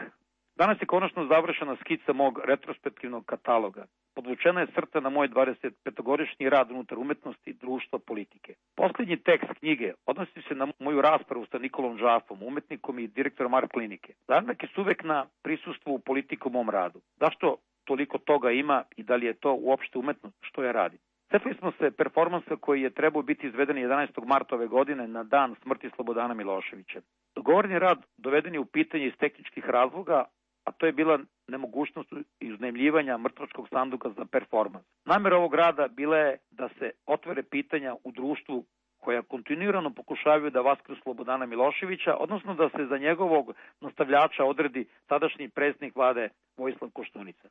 Danas je konačno završena skica mog retrospektivnog kataloga. Podvučena je crta na moj dvadesetpetogodišnji rad unutar umetnosti, društva, politike. Posljednji tekst knjige odnosi se na moju raspravu sa Nikolom Džafom, umetnikom i direktorom art klinike. Zanak je uvek na prisustvu u politiku u mom radu. Zašto toliko toga ima i da li je to uopšte umetnost što ja radim? Setili smo se performansa koji je trebao biti izveden jedanaestog marta ove godine na dan smrti Slobodana Miloševića. Dogovoreni rad doveden je u pitanje iz tehničkih razloga, a to je bila nemogućnost iznajmljivanja mrtvačkog sanduka za performans. Namera ovog rada bila je da se otvore pitanja u društvu koja kontinuirano pokušavaju da vaskru Slobodana Miloševića, odnosno da se za njegovog nastavljača odredi tadašnji predsjednik vlade Vojislav Koštunica.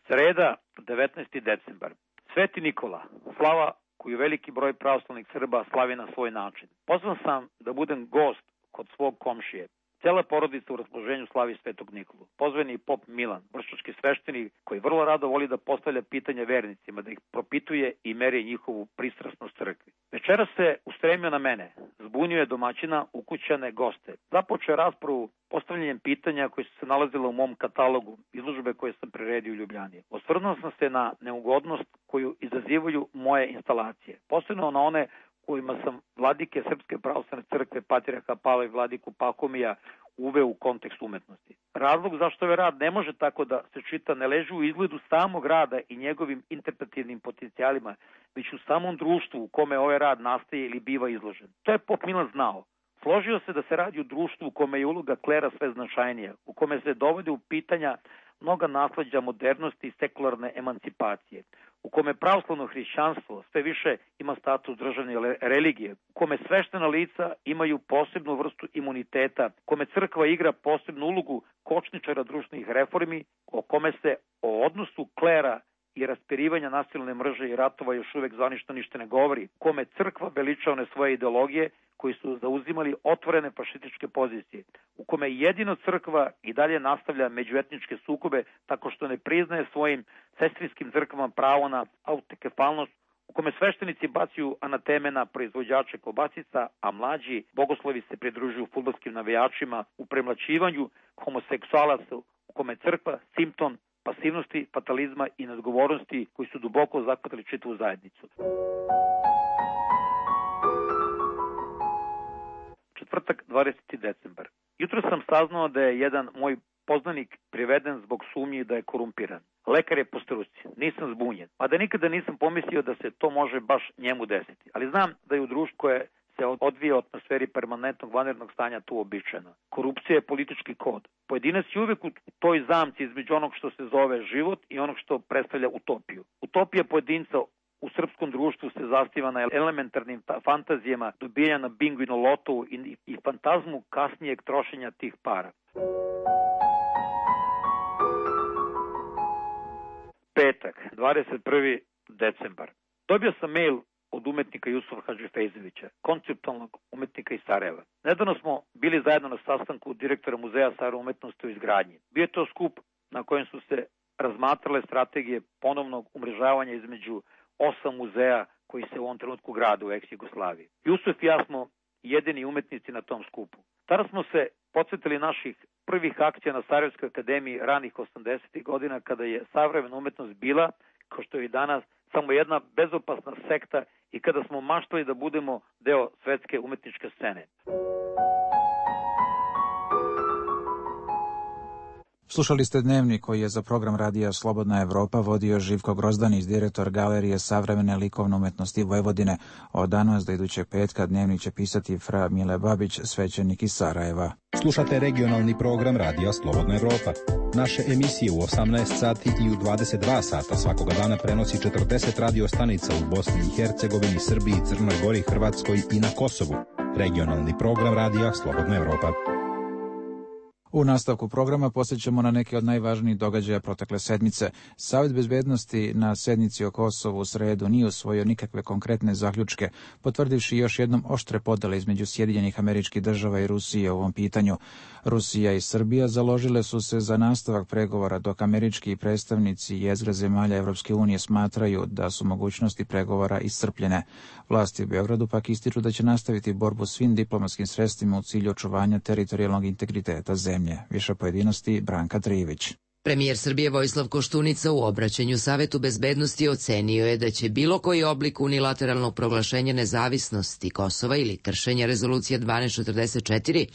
Sreda, devetnaesti decembar. Sveti Nikola, slava koju veliki broj pravoslavnih Srba slavi na svoj način. Pozvan sam da budem gost kod svog komšije. Cela porodica u raspoloženju slavi Svetog Nikolu. Pozvan je i pop Milan, vršački sveštenik koji vrlo rado voli da postavlja pitanja vernicima, da ih propituje i meri njihovu pristrasnost crkvi. Večera se ustremio na mene, zbunjuje domaćina, ukućane, goste. Započeo je raspravu postavljanjem pitanja koji su se nalazila u mom katalogu, izložbe koje sam priredio u Ljubljani. Osvrnuo sam se na neugodnost koju izazivaju moje instalacije, posebno na one kojima sam vladike Srpske pravoslavne crkve, patrijarha Pavla i vladiku Pahomija uveo u kontekst umetnosti. Razlog zašto ovaj rad ne može tako da se čita ne leži u izgledu samog rada i njegovim interpretativnim potencijalima, već u samom društvu u kome ovaj rad nastaje ili biva izložen. To je pop Milan znao. Složio se da se radi u društvu u kome je uloga klera sve značajnija, u kome se dovode u pitanja mnoga nasleđa modernosti i sekularne emancipacije, u kome pravoslavno hrišćanstvo sve više ima status državne religije, u kome sveštena lica imaju posebnu vrstu imuniteta, u kome crkva igra posebnu ulogu kočničara društvenih reformi, o kome se o odnosu klera i raspirivanja nasilne mržnje i ratova još uvek zvanično ništa ne govori, u kome crkva veliča one svoje ideologije koji su zauzimali otvorene fašističke pozicije, u kome jedino crkva i dalje nastavlja međuetničke sukobe tako što ne priznaje svojim sestrinskim crkvama pravo na autokefalnost, u kome sveštenici bacaju anateme na proizvođače kobasica, a mlađi bogoslovi se pridružuju fudbalskim navijačima u premlaćivanju homoseksualaca, u kome crkva simptom pasivnosti, fatalizma i neodgovornosti koji su duboko zahvatili čitavu zajednicu. Četvrtak, dvadeseti decembar. Jutro sam saznao da je jedan moj poznanik priveden zbog sumnji da je korumpiran. Lekar je po struci, nisam zbunjen, a da nikada nisam pomislio da se to može baš njemu desiti. Ali znam da je u društvu koje se odvija u atmosferi permanentnog vanrednog stanja tu uobičajeno. Korupcija je politički kod. Pojedinac je uvijek u toj zamci između onog što se zove život i onog što predstavlja utopiju. Utopija pojedinca u srpskom društvu se zasniva na elementarnim fantazijama dobijanja na bingu i na lotovu i, i fantazmu kasnijeg trošenja tih para. Petak, dvadeset prvi decembar. Dobio sam mail od umetnika Jusufa Hadžifejzovića, konceptualnog umetnika iz Sarajeva. Nedavno smo bili zajedno na sastanku direktora Muzeja Sarajeva umetnosti u izgradnji. Bio je to skup na kojem su se razmatrale strategije ponovnog umrežavanja između osam muzeja koji se u ovom trenutku grade u ex-Jugoslaviji. Jusuf i ja smo jedini umetnici na tom skupu. Tada smo se podsjetili naših prvih akcija na Sarajevskoj akademiji ranih osamdesetih godina, kada je savremena umetnost bila, kao što je i danas, samo jedna bezopasna sekta i kada smo maštali da budemo deo svetske umetničke scene. Slušali ste Dnevnik koji je za program radija Slobodna Evropa vodio Živko Grozdanić, direktor Galerije savremene likovne umetnosti Vojvodine. Od danas do idućeg petka Dnevnik će pisati fra Mile Babić, svećenik iz Sarajeva. Slušate regionalni program radija Slobodna Evropa. Naše emisije u osamnaest sati i u dvadeset dva sata svakoga dana prenosi četrdeset radio stanica u Bosni i Hercegovini, Srbiji, Crnoj Gori, Hrvatskoj i na Kosovu. Regionalni program radija Slobodna Evropa. U nastavku programa posjećamo na neke od najvažnijih događaja protekle sedmice. Savet bezbednosti na sednici o Kosovu u sredu nije usvojio nikakve konkretne zaključke, potvrdivši još jednom oštre podele između Sjedinjenih Američkih Država i Rusije u ovom pitanju. Rusija i Srbija založile su se za nastavak pregovora, dok američki predstavnici jezgre zemalja Evropske unije smatraju da su mogućnosti pregovora iscrpljene. Vlasti u Beogradu pak ističu da će nastaviti borbu svim diplomatskim sredstvima u cilju očuvanja teritorijalnog integriteta zemlje. Više pojedinosti Branka Trijević. Premijer Srbije Vojislav Koštunica u obraćanju Savetu bezbednosti ocenio je da će bilo koji oblik unilateralnog proglašenja nezavisnosti Kosova ili kršenja rezolucije dvanaest četrdeset četiri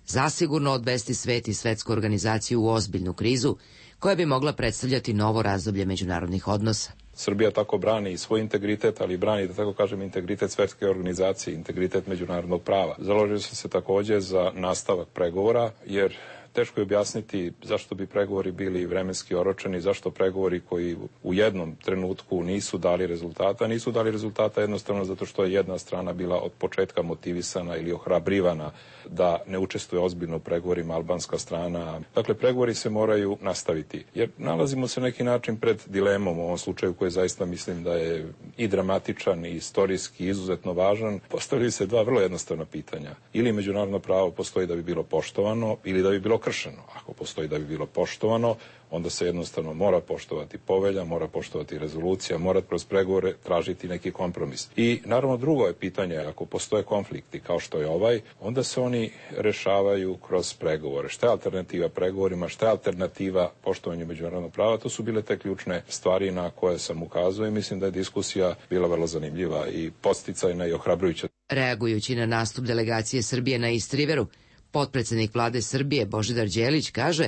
zasigurno odvesti svet i svetsku organizaciju u ozbiljnu krizu koja bi mogla predstavljati novo razdoblje međunarodnih odnosa. Srbija tako brani i svoj integritet, ali brani, da tako kažem, integritet svetske organizacije, integritet međunarodnog prava. Založio sam se također za nastavak pregovora, jer teško je objasniti zašto bi pregovori bili vremenski oročeni, zašto pregovori koji u jednom trenutku nisu dali rezultata, nisu dali rezultata jednostavno zato što je jedna strana bila od početka motivisana ili ohrabrivana da ne učestvuje ozbiljno u pregovorima, albanska strana. Dakle, pregovori se moraju nastaviti, jer nalazimo se neki način pred dilemom u ovom slučaju koji zaista mislim da je i dramatičan i istorijski izuzetno važan. Postavljaju se dva vrlo jednostavna pitanja. Ili međunarodno pravo postoji da bi bilo poštovano ili da bi bilo kršeno. Ako postoji da bi bilo poštovano, onda se jednostavno mora poštovati povelja, mora poštovati rezolucija, mora kroz pregovore tražiti neki kompromis. I naravno drugo je pitanje, ako postoje konflikti kao što je ovaj, onda se oni rešavaju kroz pregovore. Šta je alternativa pregovorima, šta je alternativa poštovanju međunarodnog prava, to su bile te ključne stvari na koje sam ukazao i mislim da je diskusija bila vrlo zanimljiva i podsticajna i ohrabrujuća. Reagujući na nastup delegacije Srbije na Istriveru, potpredsednik vlade Srbije Božidar Đelić kaže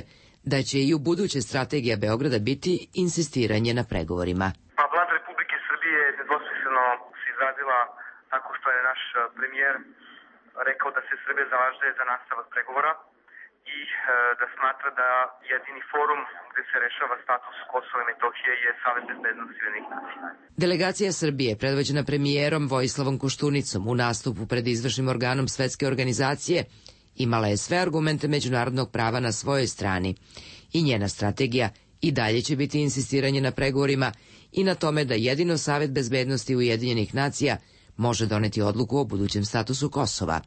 da će i u buduće strategija Beograda biti insistiranje na pregovorima. Pa vlada Republike Srbije je nedvosmisleno se izrazila tako što je naš premijer rekao da se Srbija zalaže za nastavak pregovora i e, da smatra da jedini forum gde se rešava status Kosova i Metohije je Savet bezbednosti Ujedinjenih nacija. Delegacija Srbije, predvođena premijerom Vojislavom Koštunicom u nastupu pred izvršnim organom svetske organizacije, imala je sve argumente međunarodnog prava na svojoj strani i njena strategija i dalje će biti insistiranje na pregovorima i na tome da jedino Savet bezbednosti Ujedinjenih nacija može doneti odluku o budućem statusu Kosova,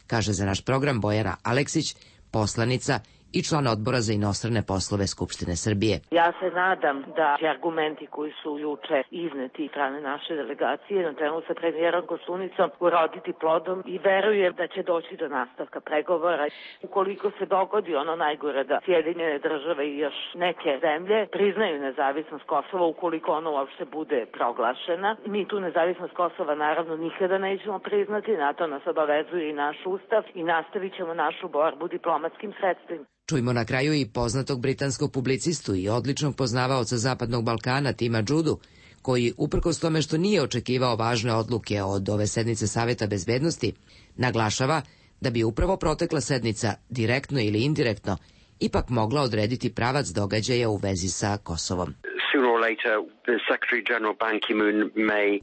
kaže za naš program Bojana Aleksić, poslanica i član odbora za inostrane poslove Skupštine Srbije. Ja se nadam da će argumenti koji su juče izneti strane naše delegacije na čelu sa premijerom Koštunicom uroditi plodom i verujem da će doći do nastavka pregovora. Ukoliko se dogodi ono najgore da Sjedinjene države i još neke zemlje priznaju nezavisnost Kosova, ukoliko ono uopšte bude proglašena, mi tu nezavisnost Kosova naravno nikada nećemo priznati, na to nas obavezuje i naš ustav i nastavit ćemo našu borbu diplomatskim sredstvima. Čujmo na kraju i poznatog britanskog publicistu i odličnog poznavaoca Zapadnog Balkana Tima Džudu, koji, uprkos tome što nije očekivao važne odluke od ove sednice Saveta bezbednosti, naglašava da bi upravo protekla sednica, direktno ili indirektno, ipak mogla odrediti pravac događaja u vezi sa Kosovom.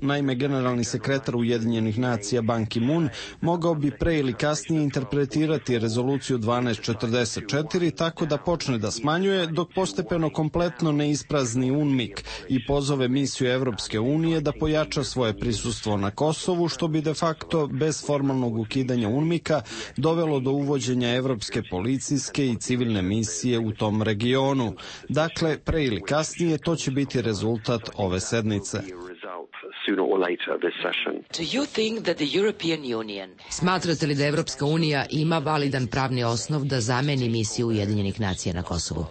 Naime, generalni sekretar Ujedinjenih nacija Ban Ki-moon mogao bi pre ili kasnije interpretirati rezoluciju dvanaest četrdeset četiri tako da počne da smanjuje dok postepeno kompletno ne isprazni UNMIK i pozove misiju Evropske unije da pojača svoje prisustvo na Kosovu, što bi de facto bez formalnog ukidanja UNMIK-a dovelo do uvođenja evropske policijske i civilne misije u tom regionu. Dakle, pre ili kasnije to će biti rezultat ove sednice. Smatrate li da Evropska unija ima validan pravni osnov da zameni misiju Ujedinjenih nacija na Kosovu?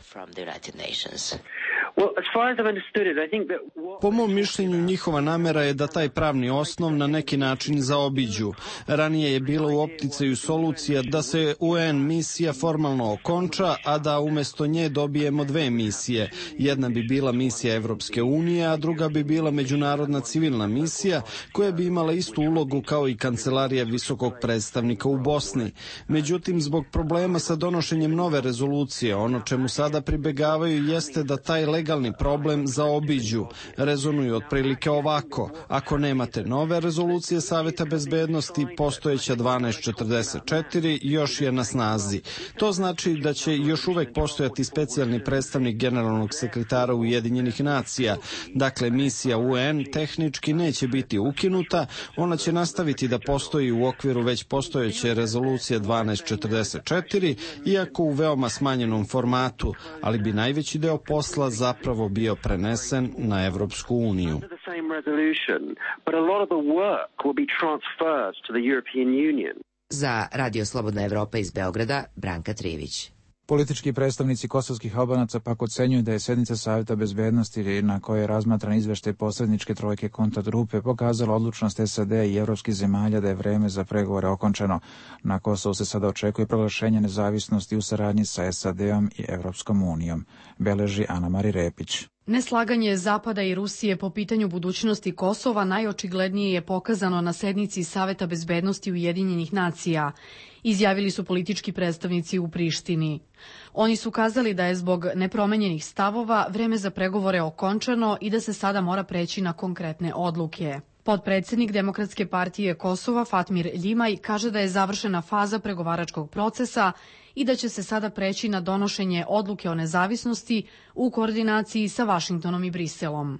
Po mom mišljenju, njihova namera je da taj pravni osnov na neki način zaobiđu. Ranije je bila u opticaju solucija da se U N misija formalno okonča, a da umesto nje dobijemo dve misije. Jedna bi bila misija Evropske unije, a druga bi bila međunarodna civilna misija koja bi imala istu ulogu kao i kancelarija visokog predstavnika u Bosni. Međutim, zbog problema sa donošenjem nove rezolucije, ono čemu sada pribegavaju jeste da taj legalni problem zaobiđu. Rezonuju otprilike ovako: ako nemate nove rezolucije Saveta bezbednosti, postojeća dvanaest četrdeset četiri još je na snazi. To znači da će još uvek postojati specijalni predstavnik generalnog sekretara Ujedinjenih nacija. Dakle, misija U N tehnički neće biti ukinuta, ona će nastaviti da postoji u okviru već postojeće rezolucije dvanaest četrdeset četiri, iako u veoma smanjenom formatu, ali bi najveći deo posla zapravo bio prenesen na Evropsku uniju. Za Radio Slobodna Evropa iz Beograda, Branka Trivić. Politički predstavnici kosovskih Albanaca pak ocenjuju da je sednica Saveta bezbednosti na kojoj je razmatran izveštaj posredničke trojke kontakt grupe pokazala odlučnost S A D i evropskih zemalja da je vreme za pregovore okončano. Na Kosovu se sada očekuje proglašenje nezavisnosti u saradnji sa S A D-om i Evropskom unijom, beleži Ana Mari Repić. Neslaganje Zapada i Rusije po pitanju budućnosti Kosova najočiglednije je pokazano na sednici Saveta bezbednosti Ujedinjenih nacija, izjavili su politički predstavnici u Prištini. Oni su kazali da je zbog nepromenjenih stavova vreme za pregovore okončano i da se sada mora preći na konkretne odluke. Potpredsednik Demokratske partije Kosova Fatmir Ljimaj kaže da je završena faza pregovaračkog procesa i da će se sada preći na donošenje odluke o nezavisnosti u koordinaciji sa Vašingtonom i Briselom.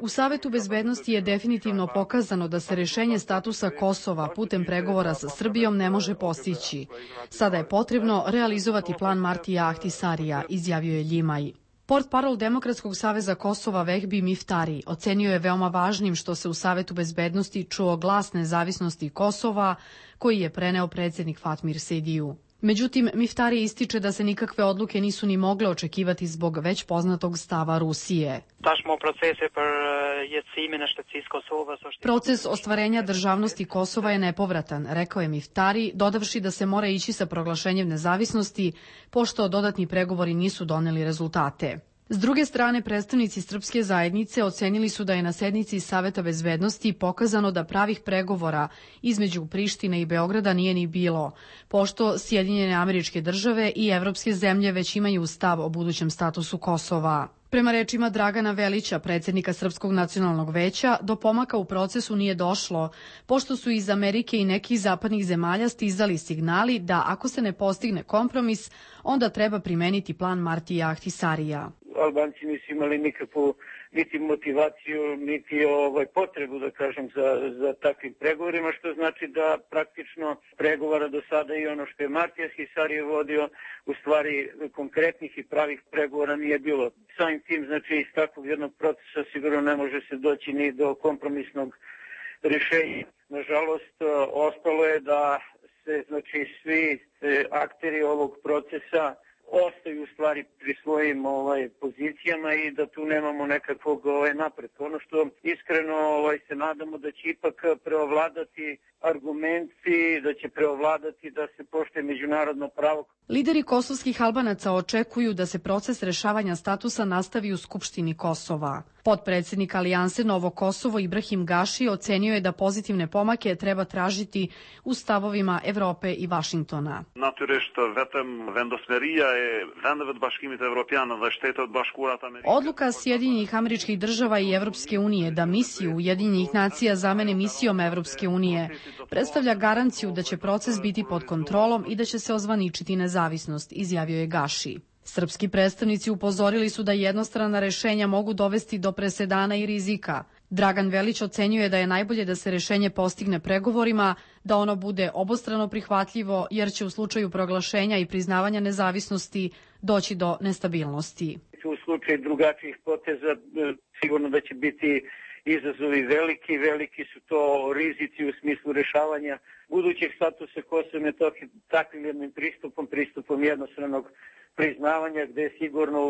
U Savetu bezbednosti je definitivno pokazano da se rešenje statusa Kosova putem pregovora sa Srbijom ne može postići. Sada je potrebno realizovati plan Martija Ahtisarija, izjavio je Ljimaj. Portparol Demokratskog saveza Kosova Vehbi Miftari ocenio je veoma važnim što se u Savetu bezbednosti čuo glas nezavisnosti Kosova koji je preneo predsednik Fatmir Sejdiju. Međutim, Miftari ističe da se nikakve odluke nisu ni mogle očekivati zbog već poznatog stava Rusije. Proces ostvarenja državnosti Kosova je nepovratan, rekao je Miftari, dodavši da se mora ići sa proglašenjem nezavisnosti, pošto dodatni pregovori nisu doneli rezultate. S druge strane, predstavnici srpske zajednice ocenili su da je na sednici Saveta bezbednosti pokazano da pravih pregovora između Prištine i Beograda nije ni bilo, pošto Sjedinjene Američke Države i evropske zemlje već imaju stav o budućem statusu Kosova. Prema rečima Dragana Velića, predsednika Srpskog nacionalnog veća, do pomaka u procesu nije došlo, pošto su iz Amerike i nekih zapadnih zemalja stizali signali da ako se ne postigne kompromis, onda treba primeniti plan Martija Ahtisarija. Albanci nisu imali nikakvu niti motivaciju, niti ovaj, potrebu, da kažem, za, za takvim pregovorima, što znači da praktično pregovora do sada i ono što je Martija Ahtisarije vodio, u stvari konkretnih i pravih pregovora nije bilo. Samim tim, znači, iz takvog jednog procesa sigurno ne može se doći ni do kompromisnog rješenja. Nažalost, ostalo je da se, znači, svi akteri ovog procesa ostaju u stvari pri svojim ovaj, pozicijama i da tu nemamo nekakvog ovaj, napretka. Ono što iskreno ovaj, se nadamo da će ipak preovladati argumenti, da će preovladati da se poštuje međunarodno pravo. Lideri kosovskih Albanaca očekuju da se proces rešavanja statusa nastavi u Skupštini Kosova. Potpredsednik Alijanse Novo Kosovo Ibrahim Gaši ocenio je da pozitivne pomake treba tražiti u stavovima Evrope i Vašingtona. Odluka Sjedinjenih Američkih Država i Evropske unije da misiju Ujedinjenih nacija zamene misijom Evropske unije predstavlja garanciju da će proces biti pod kontrolom i da će se ozvaničiti nezavisnost, izjavio je Gaši. Srpski predstavnici upozorili su da jednostrana rešenja mogu dovesti do presedana i rizika. Dragan Velić ocenjuje da je najbolje da se rešenje postigne pregovorima, da ono bude obostrano prihvatljivo, jer će u slučaju proglašenja i priznavanja nezavisnosti doći do nestabilnosti. U slučaju drugačijih poteza sigurno da će biti izazovi veliki, veliki su to rizici u smislu rešavanja budućeg statusa Kosova i Metohije takvim jednim pristupom, pristupom jednostranog priznavanja, gde je sigurno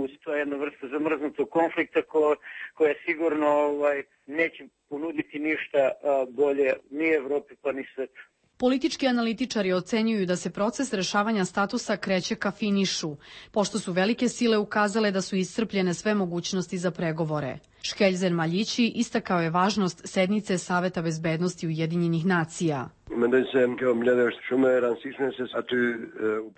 uz to jedna vrsta zamrznutog konflikta ko, koja sigurno ovaj, neće ponuditi ništa bolje ni Evropi pa ni svetu. Politički analitičari ocenjuju da se proces rešavanja statusa kreće ka finišu, pošto su velike sile ukazale da su iscrpljene sve mogućnosti za pregovore. Škeljzen Maljići istakao je važnost sednice Saveta bezbednosti Ujedinjenih nacija.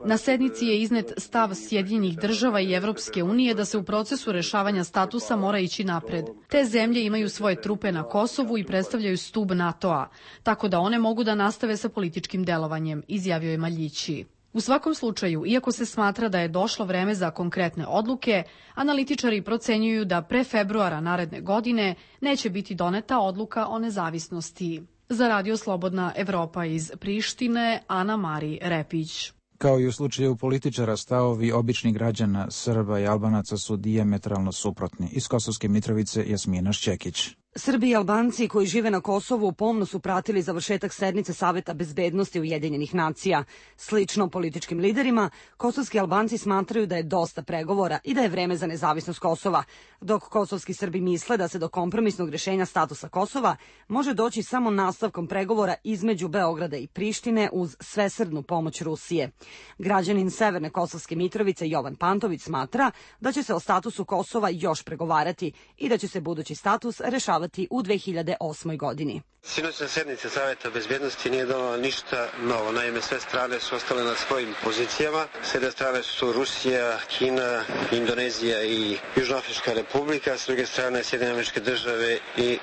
Na sednici je iznet stav Sjedinjenih država i Evropske unije da se u procesu rešavanja statusa mora ići napred. Te zemlje imaju svoje trupe na Kosovu i predstavljaju stub NATO-a, tako da one mogu da nastave sa političkim delovanjem, izjavio je Maljići. U svakom slučaju, iako se smatra da je došlo vreme za konkretne odluke, analitičari procenjuju da pre februara naredne godine neće biti doneta odluka o nezavisnosti. Za Radio Slobodna Evropa iz Prištine, Ana Mari Repić. Kao i u slučaju političara, stavovi običnih građana, Srba i Albanaca su dijametralno suprotni. Iz Kosovske Mitrovice, Jasmina Šćekić. Srbi i Albanci koji žive na Kosovu pomno su pratili završetak sednice Saveta bezbednosti Ujedinjenih nacija. Slično političkim liderima, kosovski Albanci smatraju da je dosta pregovora i da je vreme za nezavisnost Kosova, dok kosovski Srbi misle da se do kompromisnog rešenja statusa Kosova može doći samo nastavkom pregovora između Beograda i Prištine uz svesrdnu pomoć Rusije. Građanin Severne Kosovske Mitrovice Jovan Pantović smatra da će se o statusu Kosova još pregovarati i da će se budući status rešavati u dve hiljade osmoj godini. Sinoćna sednica Saveta bezbednosti nije donala ništa novo. Naime, sve strane su ostale na svojim pozicijama. S jedne strane su Rusija, Kina, Indonezija i Južnoafrička republika, s druge strane Sjedinjene Američke Države i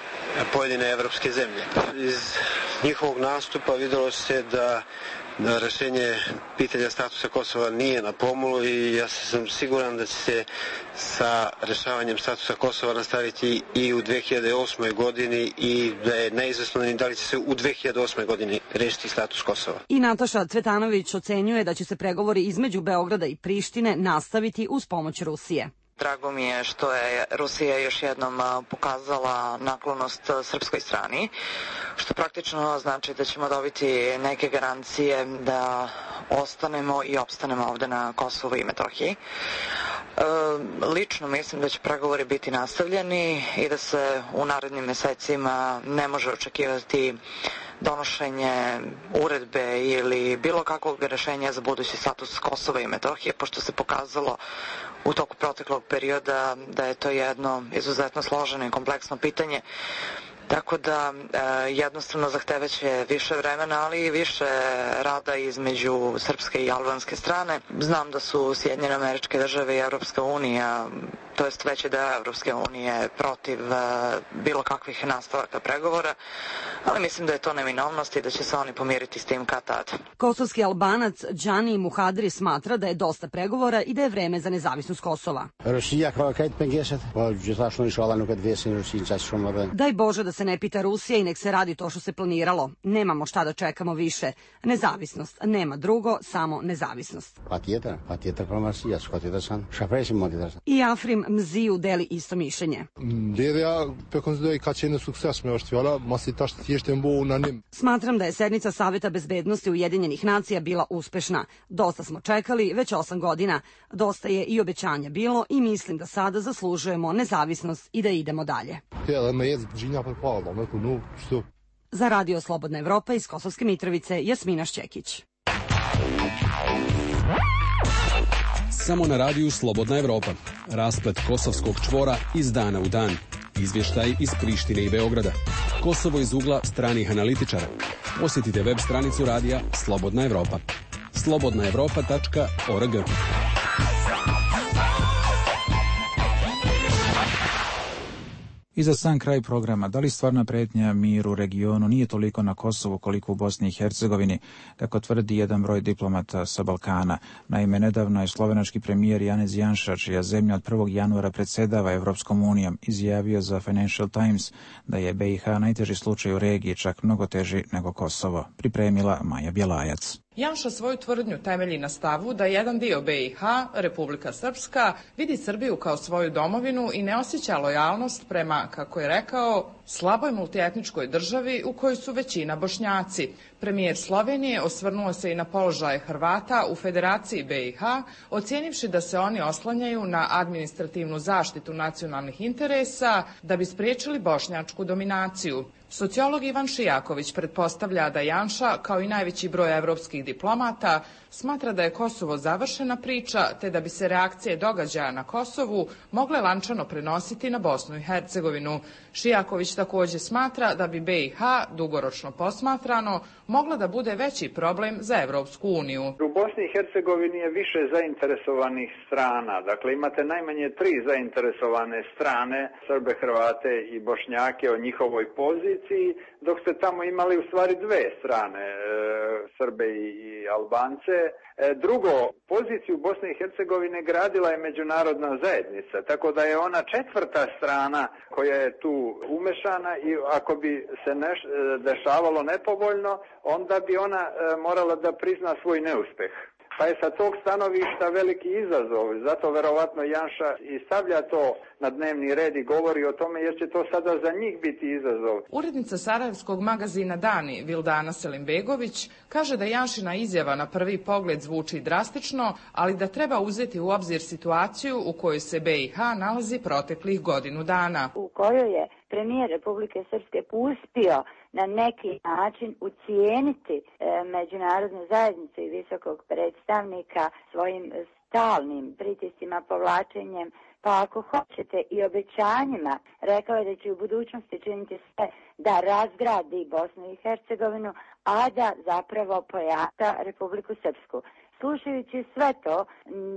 pojedine evropske zemlje. Iz njihovog nastupa videlo se da da rešenje pitanja statusa Kosova nije na pomolu i ja sam siguran da će se sa rešavanjem statusa Kosova nastaviti i u dve hiljade osmoj godini i da je neizvesno da li će se u dve hiljade osmoj godini rešiti status Kosova. I Nataša Cvetanović ocenjuje da će se pregovori između Beograda i Prištine nastaviti uz pomoć Rusije. Drago mi je što je Rusija još jednom pokazala naklonost srpskoj strani, što praktično znači da ćemo dobiti neke garancije da ostanemo i opstanemo ovde na Kosovu i Metohiji. E, lično mislim da će pregovori biti nastavljeni i da se u narednim mesecima ne može očekivati donošenje uredbe ili bilo kakvog rešenja za budući status Kosova i Metohije, pošto se pokazalo u toku proteklog perioda da je to jedno izuzetno složeno i kompleksno pitanje. Tako da e, jednostavno zahtevaće više vremena, ali i više rada između srpske i albanske strane. Znam da su Sjedinjene Američke Države i Evropska unija, to jest veći deo Evropske unije, protiv e, bilo kakvih nastavaka pregovora, ali mislim da je to neminovnost i da će se oni pomiriti s tim kad tad. Kosovski Albanac Džani Muhadri smatra da je dosta pregovora i da je vreme za nezavisnost Kosova. Daj Bože da se ne pita Rusija i nek se radi to što se planiralo. Nemamo šta da čekamo više. Nezavisnost. Nema drugo, samo nezavisnost. I Afrim Mziju deli isto mišljenje. Smatram da je sednica Saveta bezbednosti Ujedinjenih nacija bila uspešna. Dosta smo čekali, već osam godina. Dosta je i obećanja bilo i mislim da sada zaslužujemo nezavisnost i da idemo dalje. Za Radio Slobodna Evropa iz Kosovske Mitrovice, Jasmina Šćekić. Samo na radiju Slobodna Evropa. Rasplet kosovskog čvora iz dana u dan. Izvještaj iz Prištine i Beograda. Kosovo iz ugla stranih analitičara. Posjetite web stranicu radija Slobodna Evropa. slobodna evropa tačka org. I za sam kraj programa, da li stvarna pretnja miru u regionu nije toliko na Kosovu koliko u Bosni i Hercegovini, kako tvrdi jedan broj diplomata sa Balkana. Naime, nedavno je slovenački premijer Janez Janša, čija zemlja od prvog januara predsjedava Evropskom unijom, izjavio za Financial Times da je B i H najteži slučaj u regiji, čak mnogo teži nego Kosovo. Pripremila Maja Bjelajac. Janša svoju tvrdnju temelji na stavu da jedan dio B i H, Republika Srpska, vidi Srbiju kao svoju domovinu i ne osjeća lojalnost prema, kako je rekao, slaboj multietničkoj državi u kojoj su većina Bošnjaci. Premijer Slovenije osvrnuo se i na položaj Hrvata u Federaciji B i H, ocijenivši da se oni oslanjaju na administrativnu zaštitu nacionalnih interesa da bi spriječili bošnjačku dominaciju. Sociolog Ivan Šijaković pretpostavlja da Janša, kao i najveći broj evropskih diplomata, smatra da je Kosovo završena priča, te da bi se reakcije događaja na Kosovu mogle lančano prenositi na Bosnu i Hercegovinu. Šijaković također smatra da bi B i H, dugoročno posmatrano, mogla da bude veći problem za Evropsku uniju. U Bosni i Hercegovini je više zainteresovanih strana. Dakle, imate najmanje tri zainteresovane strane, Srbe, Hrvate i Bošnjake o njihovoj poziciji, dok ste tamo imali u stvari dve strane, e, Srbe i, i Albance. E, drugo, poziciju Bosne i Hercegovine gradila je međunarodna zajednica, tako da je ona četvrta strana koja je tu umešana i ako bi se neš, dešavalo nepovoljno, onda bi ona e, morala da prizna svoj neuspeh. Pa je sa tog stanovišta veliki izazov, zato verovatno Janša i stavlja to na dnevni red i govori o tome jer će to sada za njih biti izazov. Urednica sarajevskog magazina Dani, Vildana Selimbegović, kaže da Janšina izjava na prvi pogled zvuči drastično, ali da treba uzeti u obzir situaciju u kojoj se B i H nalazi proteklih godinu dana. U kojoj je premijer Republike Srpske uspio na neki način ucijeniti e, međunarodnu zajednicu i visokog predstavnika svojim stalnim pritiscima, povlačenjem, pa ako hoćete i obećanjima. Rekao je da će u budućnosti činiti sve da razgradi Bosnu i Hercegovinu, a da zapravo pojača Republiku Srpsku. Slušajući sve to,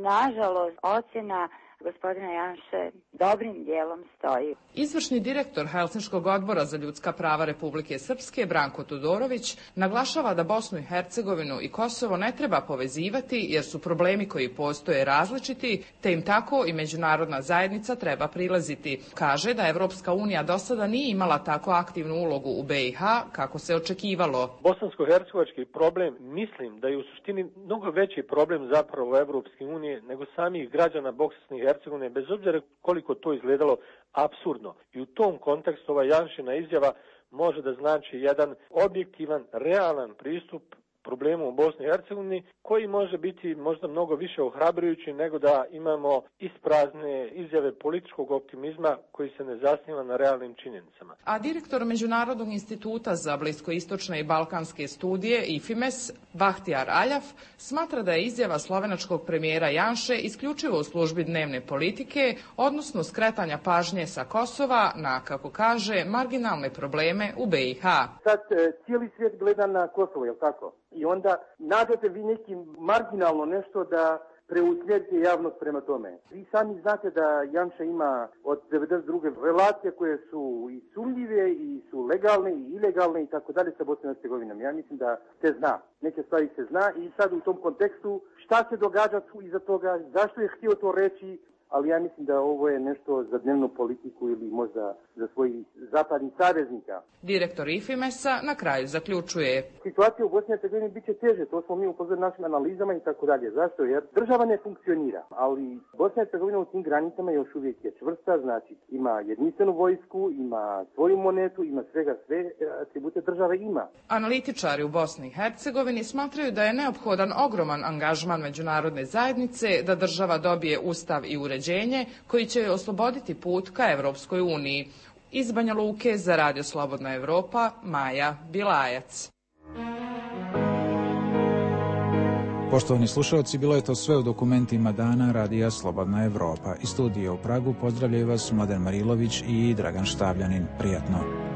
nažalost, ocjena gospodina Janše dobrim dijelom stoji. Izvršni direktor Helsinškog odbora za ljudska prava Republike Srpske, Branko Tudorović, naglašava da Bosnu i Hercegovinu i Kosovo ne treba povezivati jer su problemi koji postoje različiti, te im tako i međunarodna zajednica treba prilaziti. Kaže da Evropska unija do sada nije imala tako aktivnu ulogu u B i H kako se očekivalo. Bosansko-hercegovački problem mislim da je u suštini mnogo veći problem zapravo Evropske unije nego samih građana Bosne i Hercegovine, bez obzira koliko to izgledalo apsurdno. I u tom kontekstu ova Janšina izjava može da znači jedan objektivan, realan pristup problemu u Bosni i Hercegovini, koji može biti možda mnogo više ohrabrujući nego da imamo isprazne izjave političkog optimizma koji se ne zasniva na realnim činjenicama. A direktor Međunarodnog instituta za bliskoistočne i balkanske studije I F I M E S, Bahtijar Aljaf, smatra da je izjava slovenačkog premijera Janše isključivo u službi dnevne politike, odnosno skretanja pažnje sa Kosova na, kako kaže, marginalne probleme u B i H. Sad cijeli svijet gleda na Kosovo, je li tako? I onda nađete vi neki marginalno nešto da preusmjerite javnost prema tome. Vi sami znate da Janša ima od devedeset druge relacije koje su i sumnjive i su legalne i ilegalne i tako dalje sa Bosnom i Hercegovinom. Ja mislim da se zna. Neke stvari se zna i sad u tom kontekstu šta se događa tu iza toga, zašto je htio to reći, ali ja mislim da ovo je nešto za dnevnu politiku ili možda za svojih zapadnih saveznika. Direktor IFIMES-a na kraju zaključuje. Situacija u Bosni i Hercegovini bit će teže, to smo mi upozorili našim analizama i tako dalje. Zašto? Jer država ne funkcionira, ali Bosna i Hercegovina u tim granicama još uvijek je čvrsta, znači ima jedinstvenu vojsku, ima svoju monetu, ima svega sve atribute države ima. Analitičari u Bosni i Hercegovini smatraju da je neophodan ogroman angažman međunarodne zajednice da država dobije ustav i uređenje koji će joj osloboditi put ka Evropskoj uniji. Iz Banja Luke za Radio Slobodna Evropa, Maja Bilajac. Poštovani slušalci, bilo je to sve u dokumentima dana Radija Slobodna Evropa. Iz studija u Pragu pozdravljaju vas Mladen Marilović i Dragan Štavljanin. Prijatno.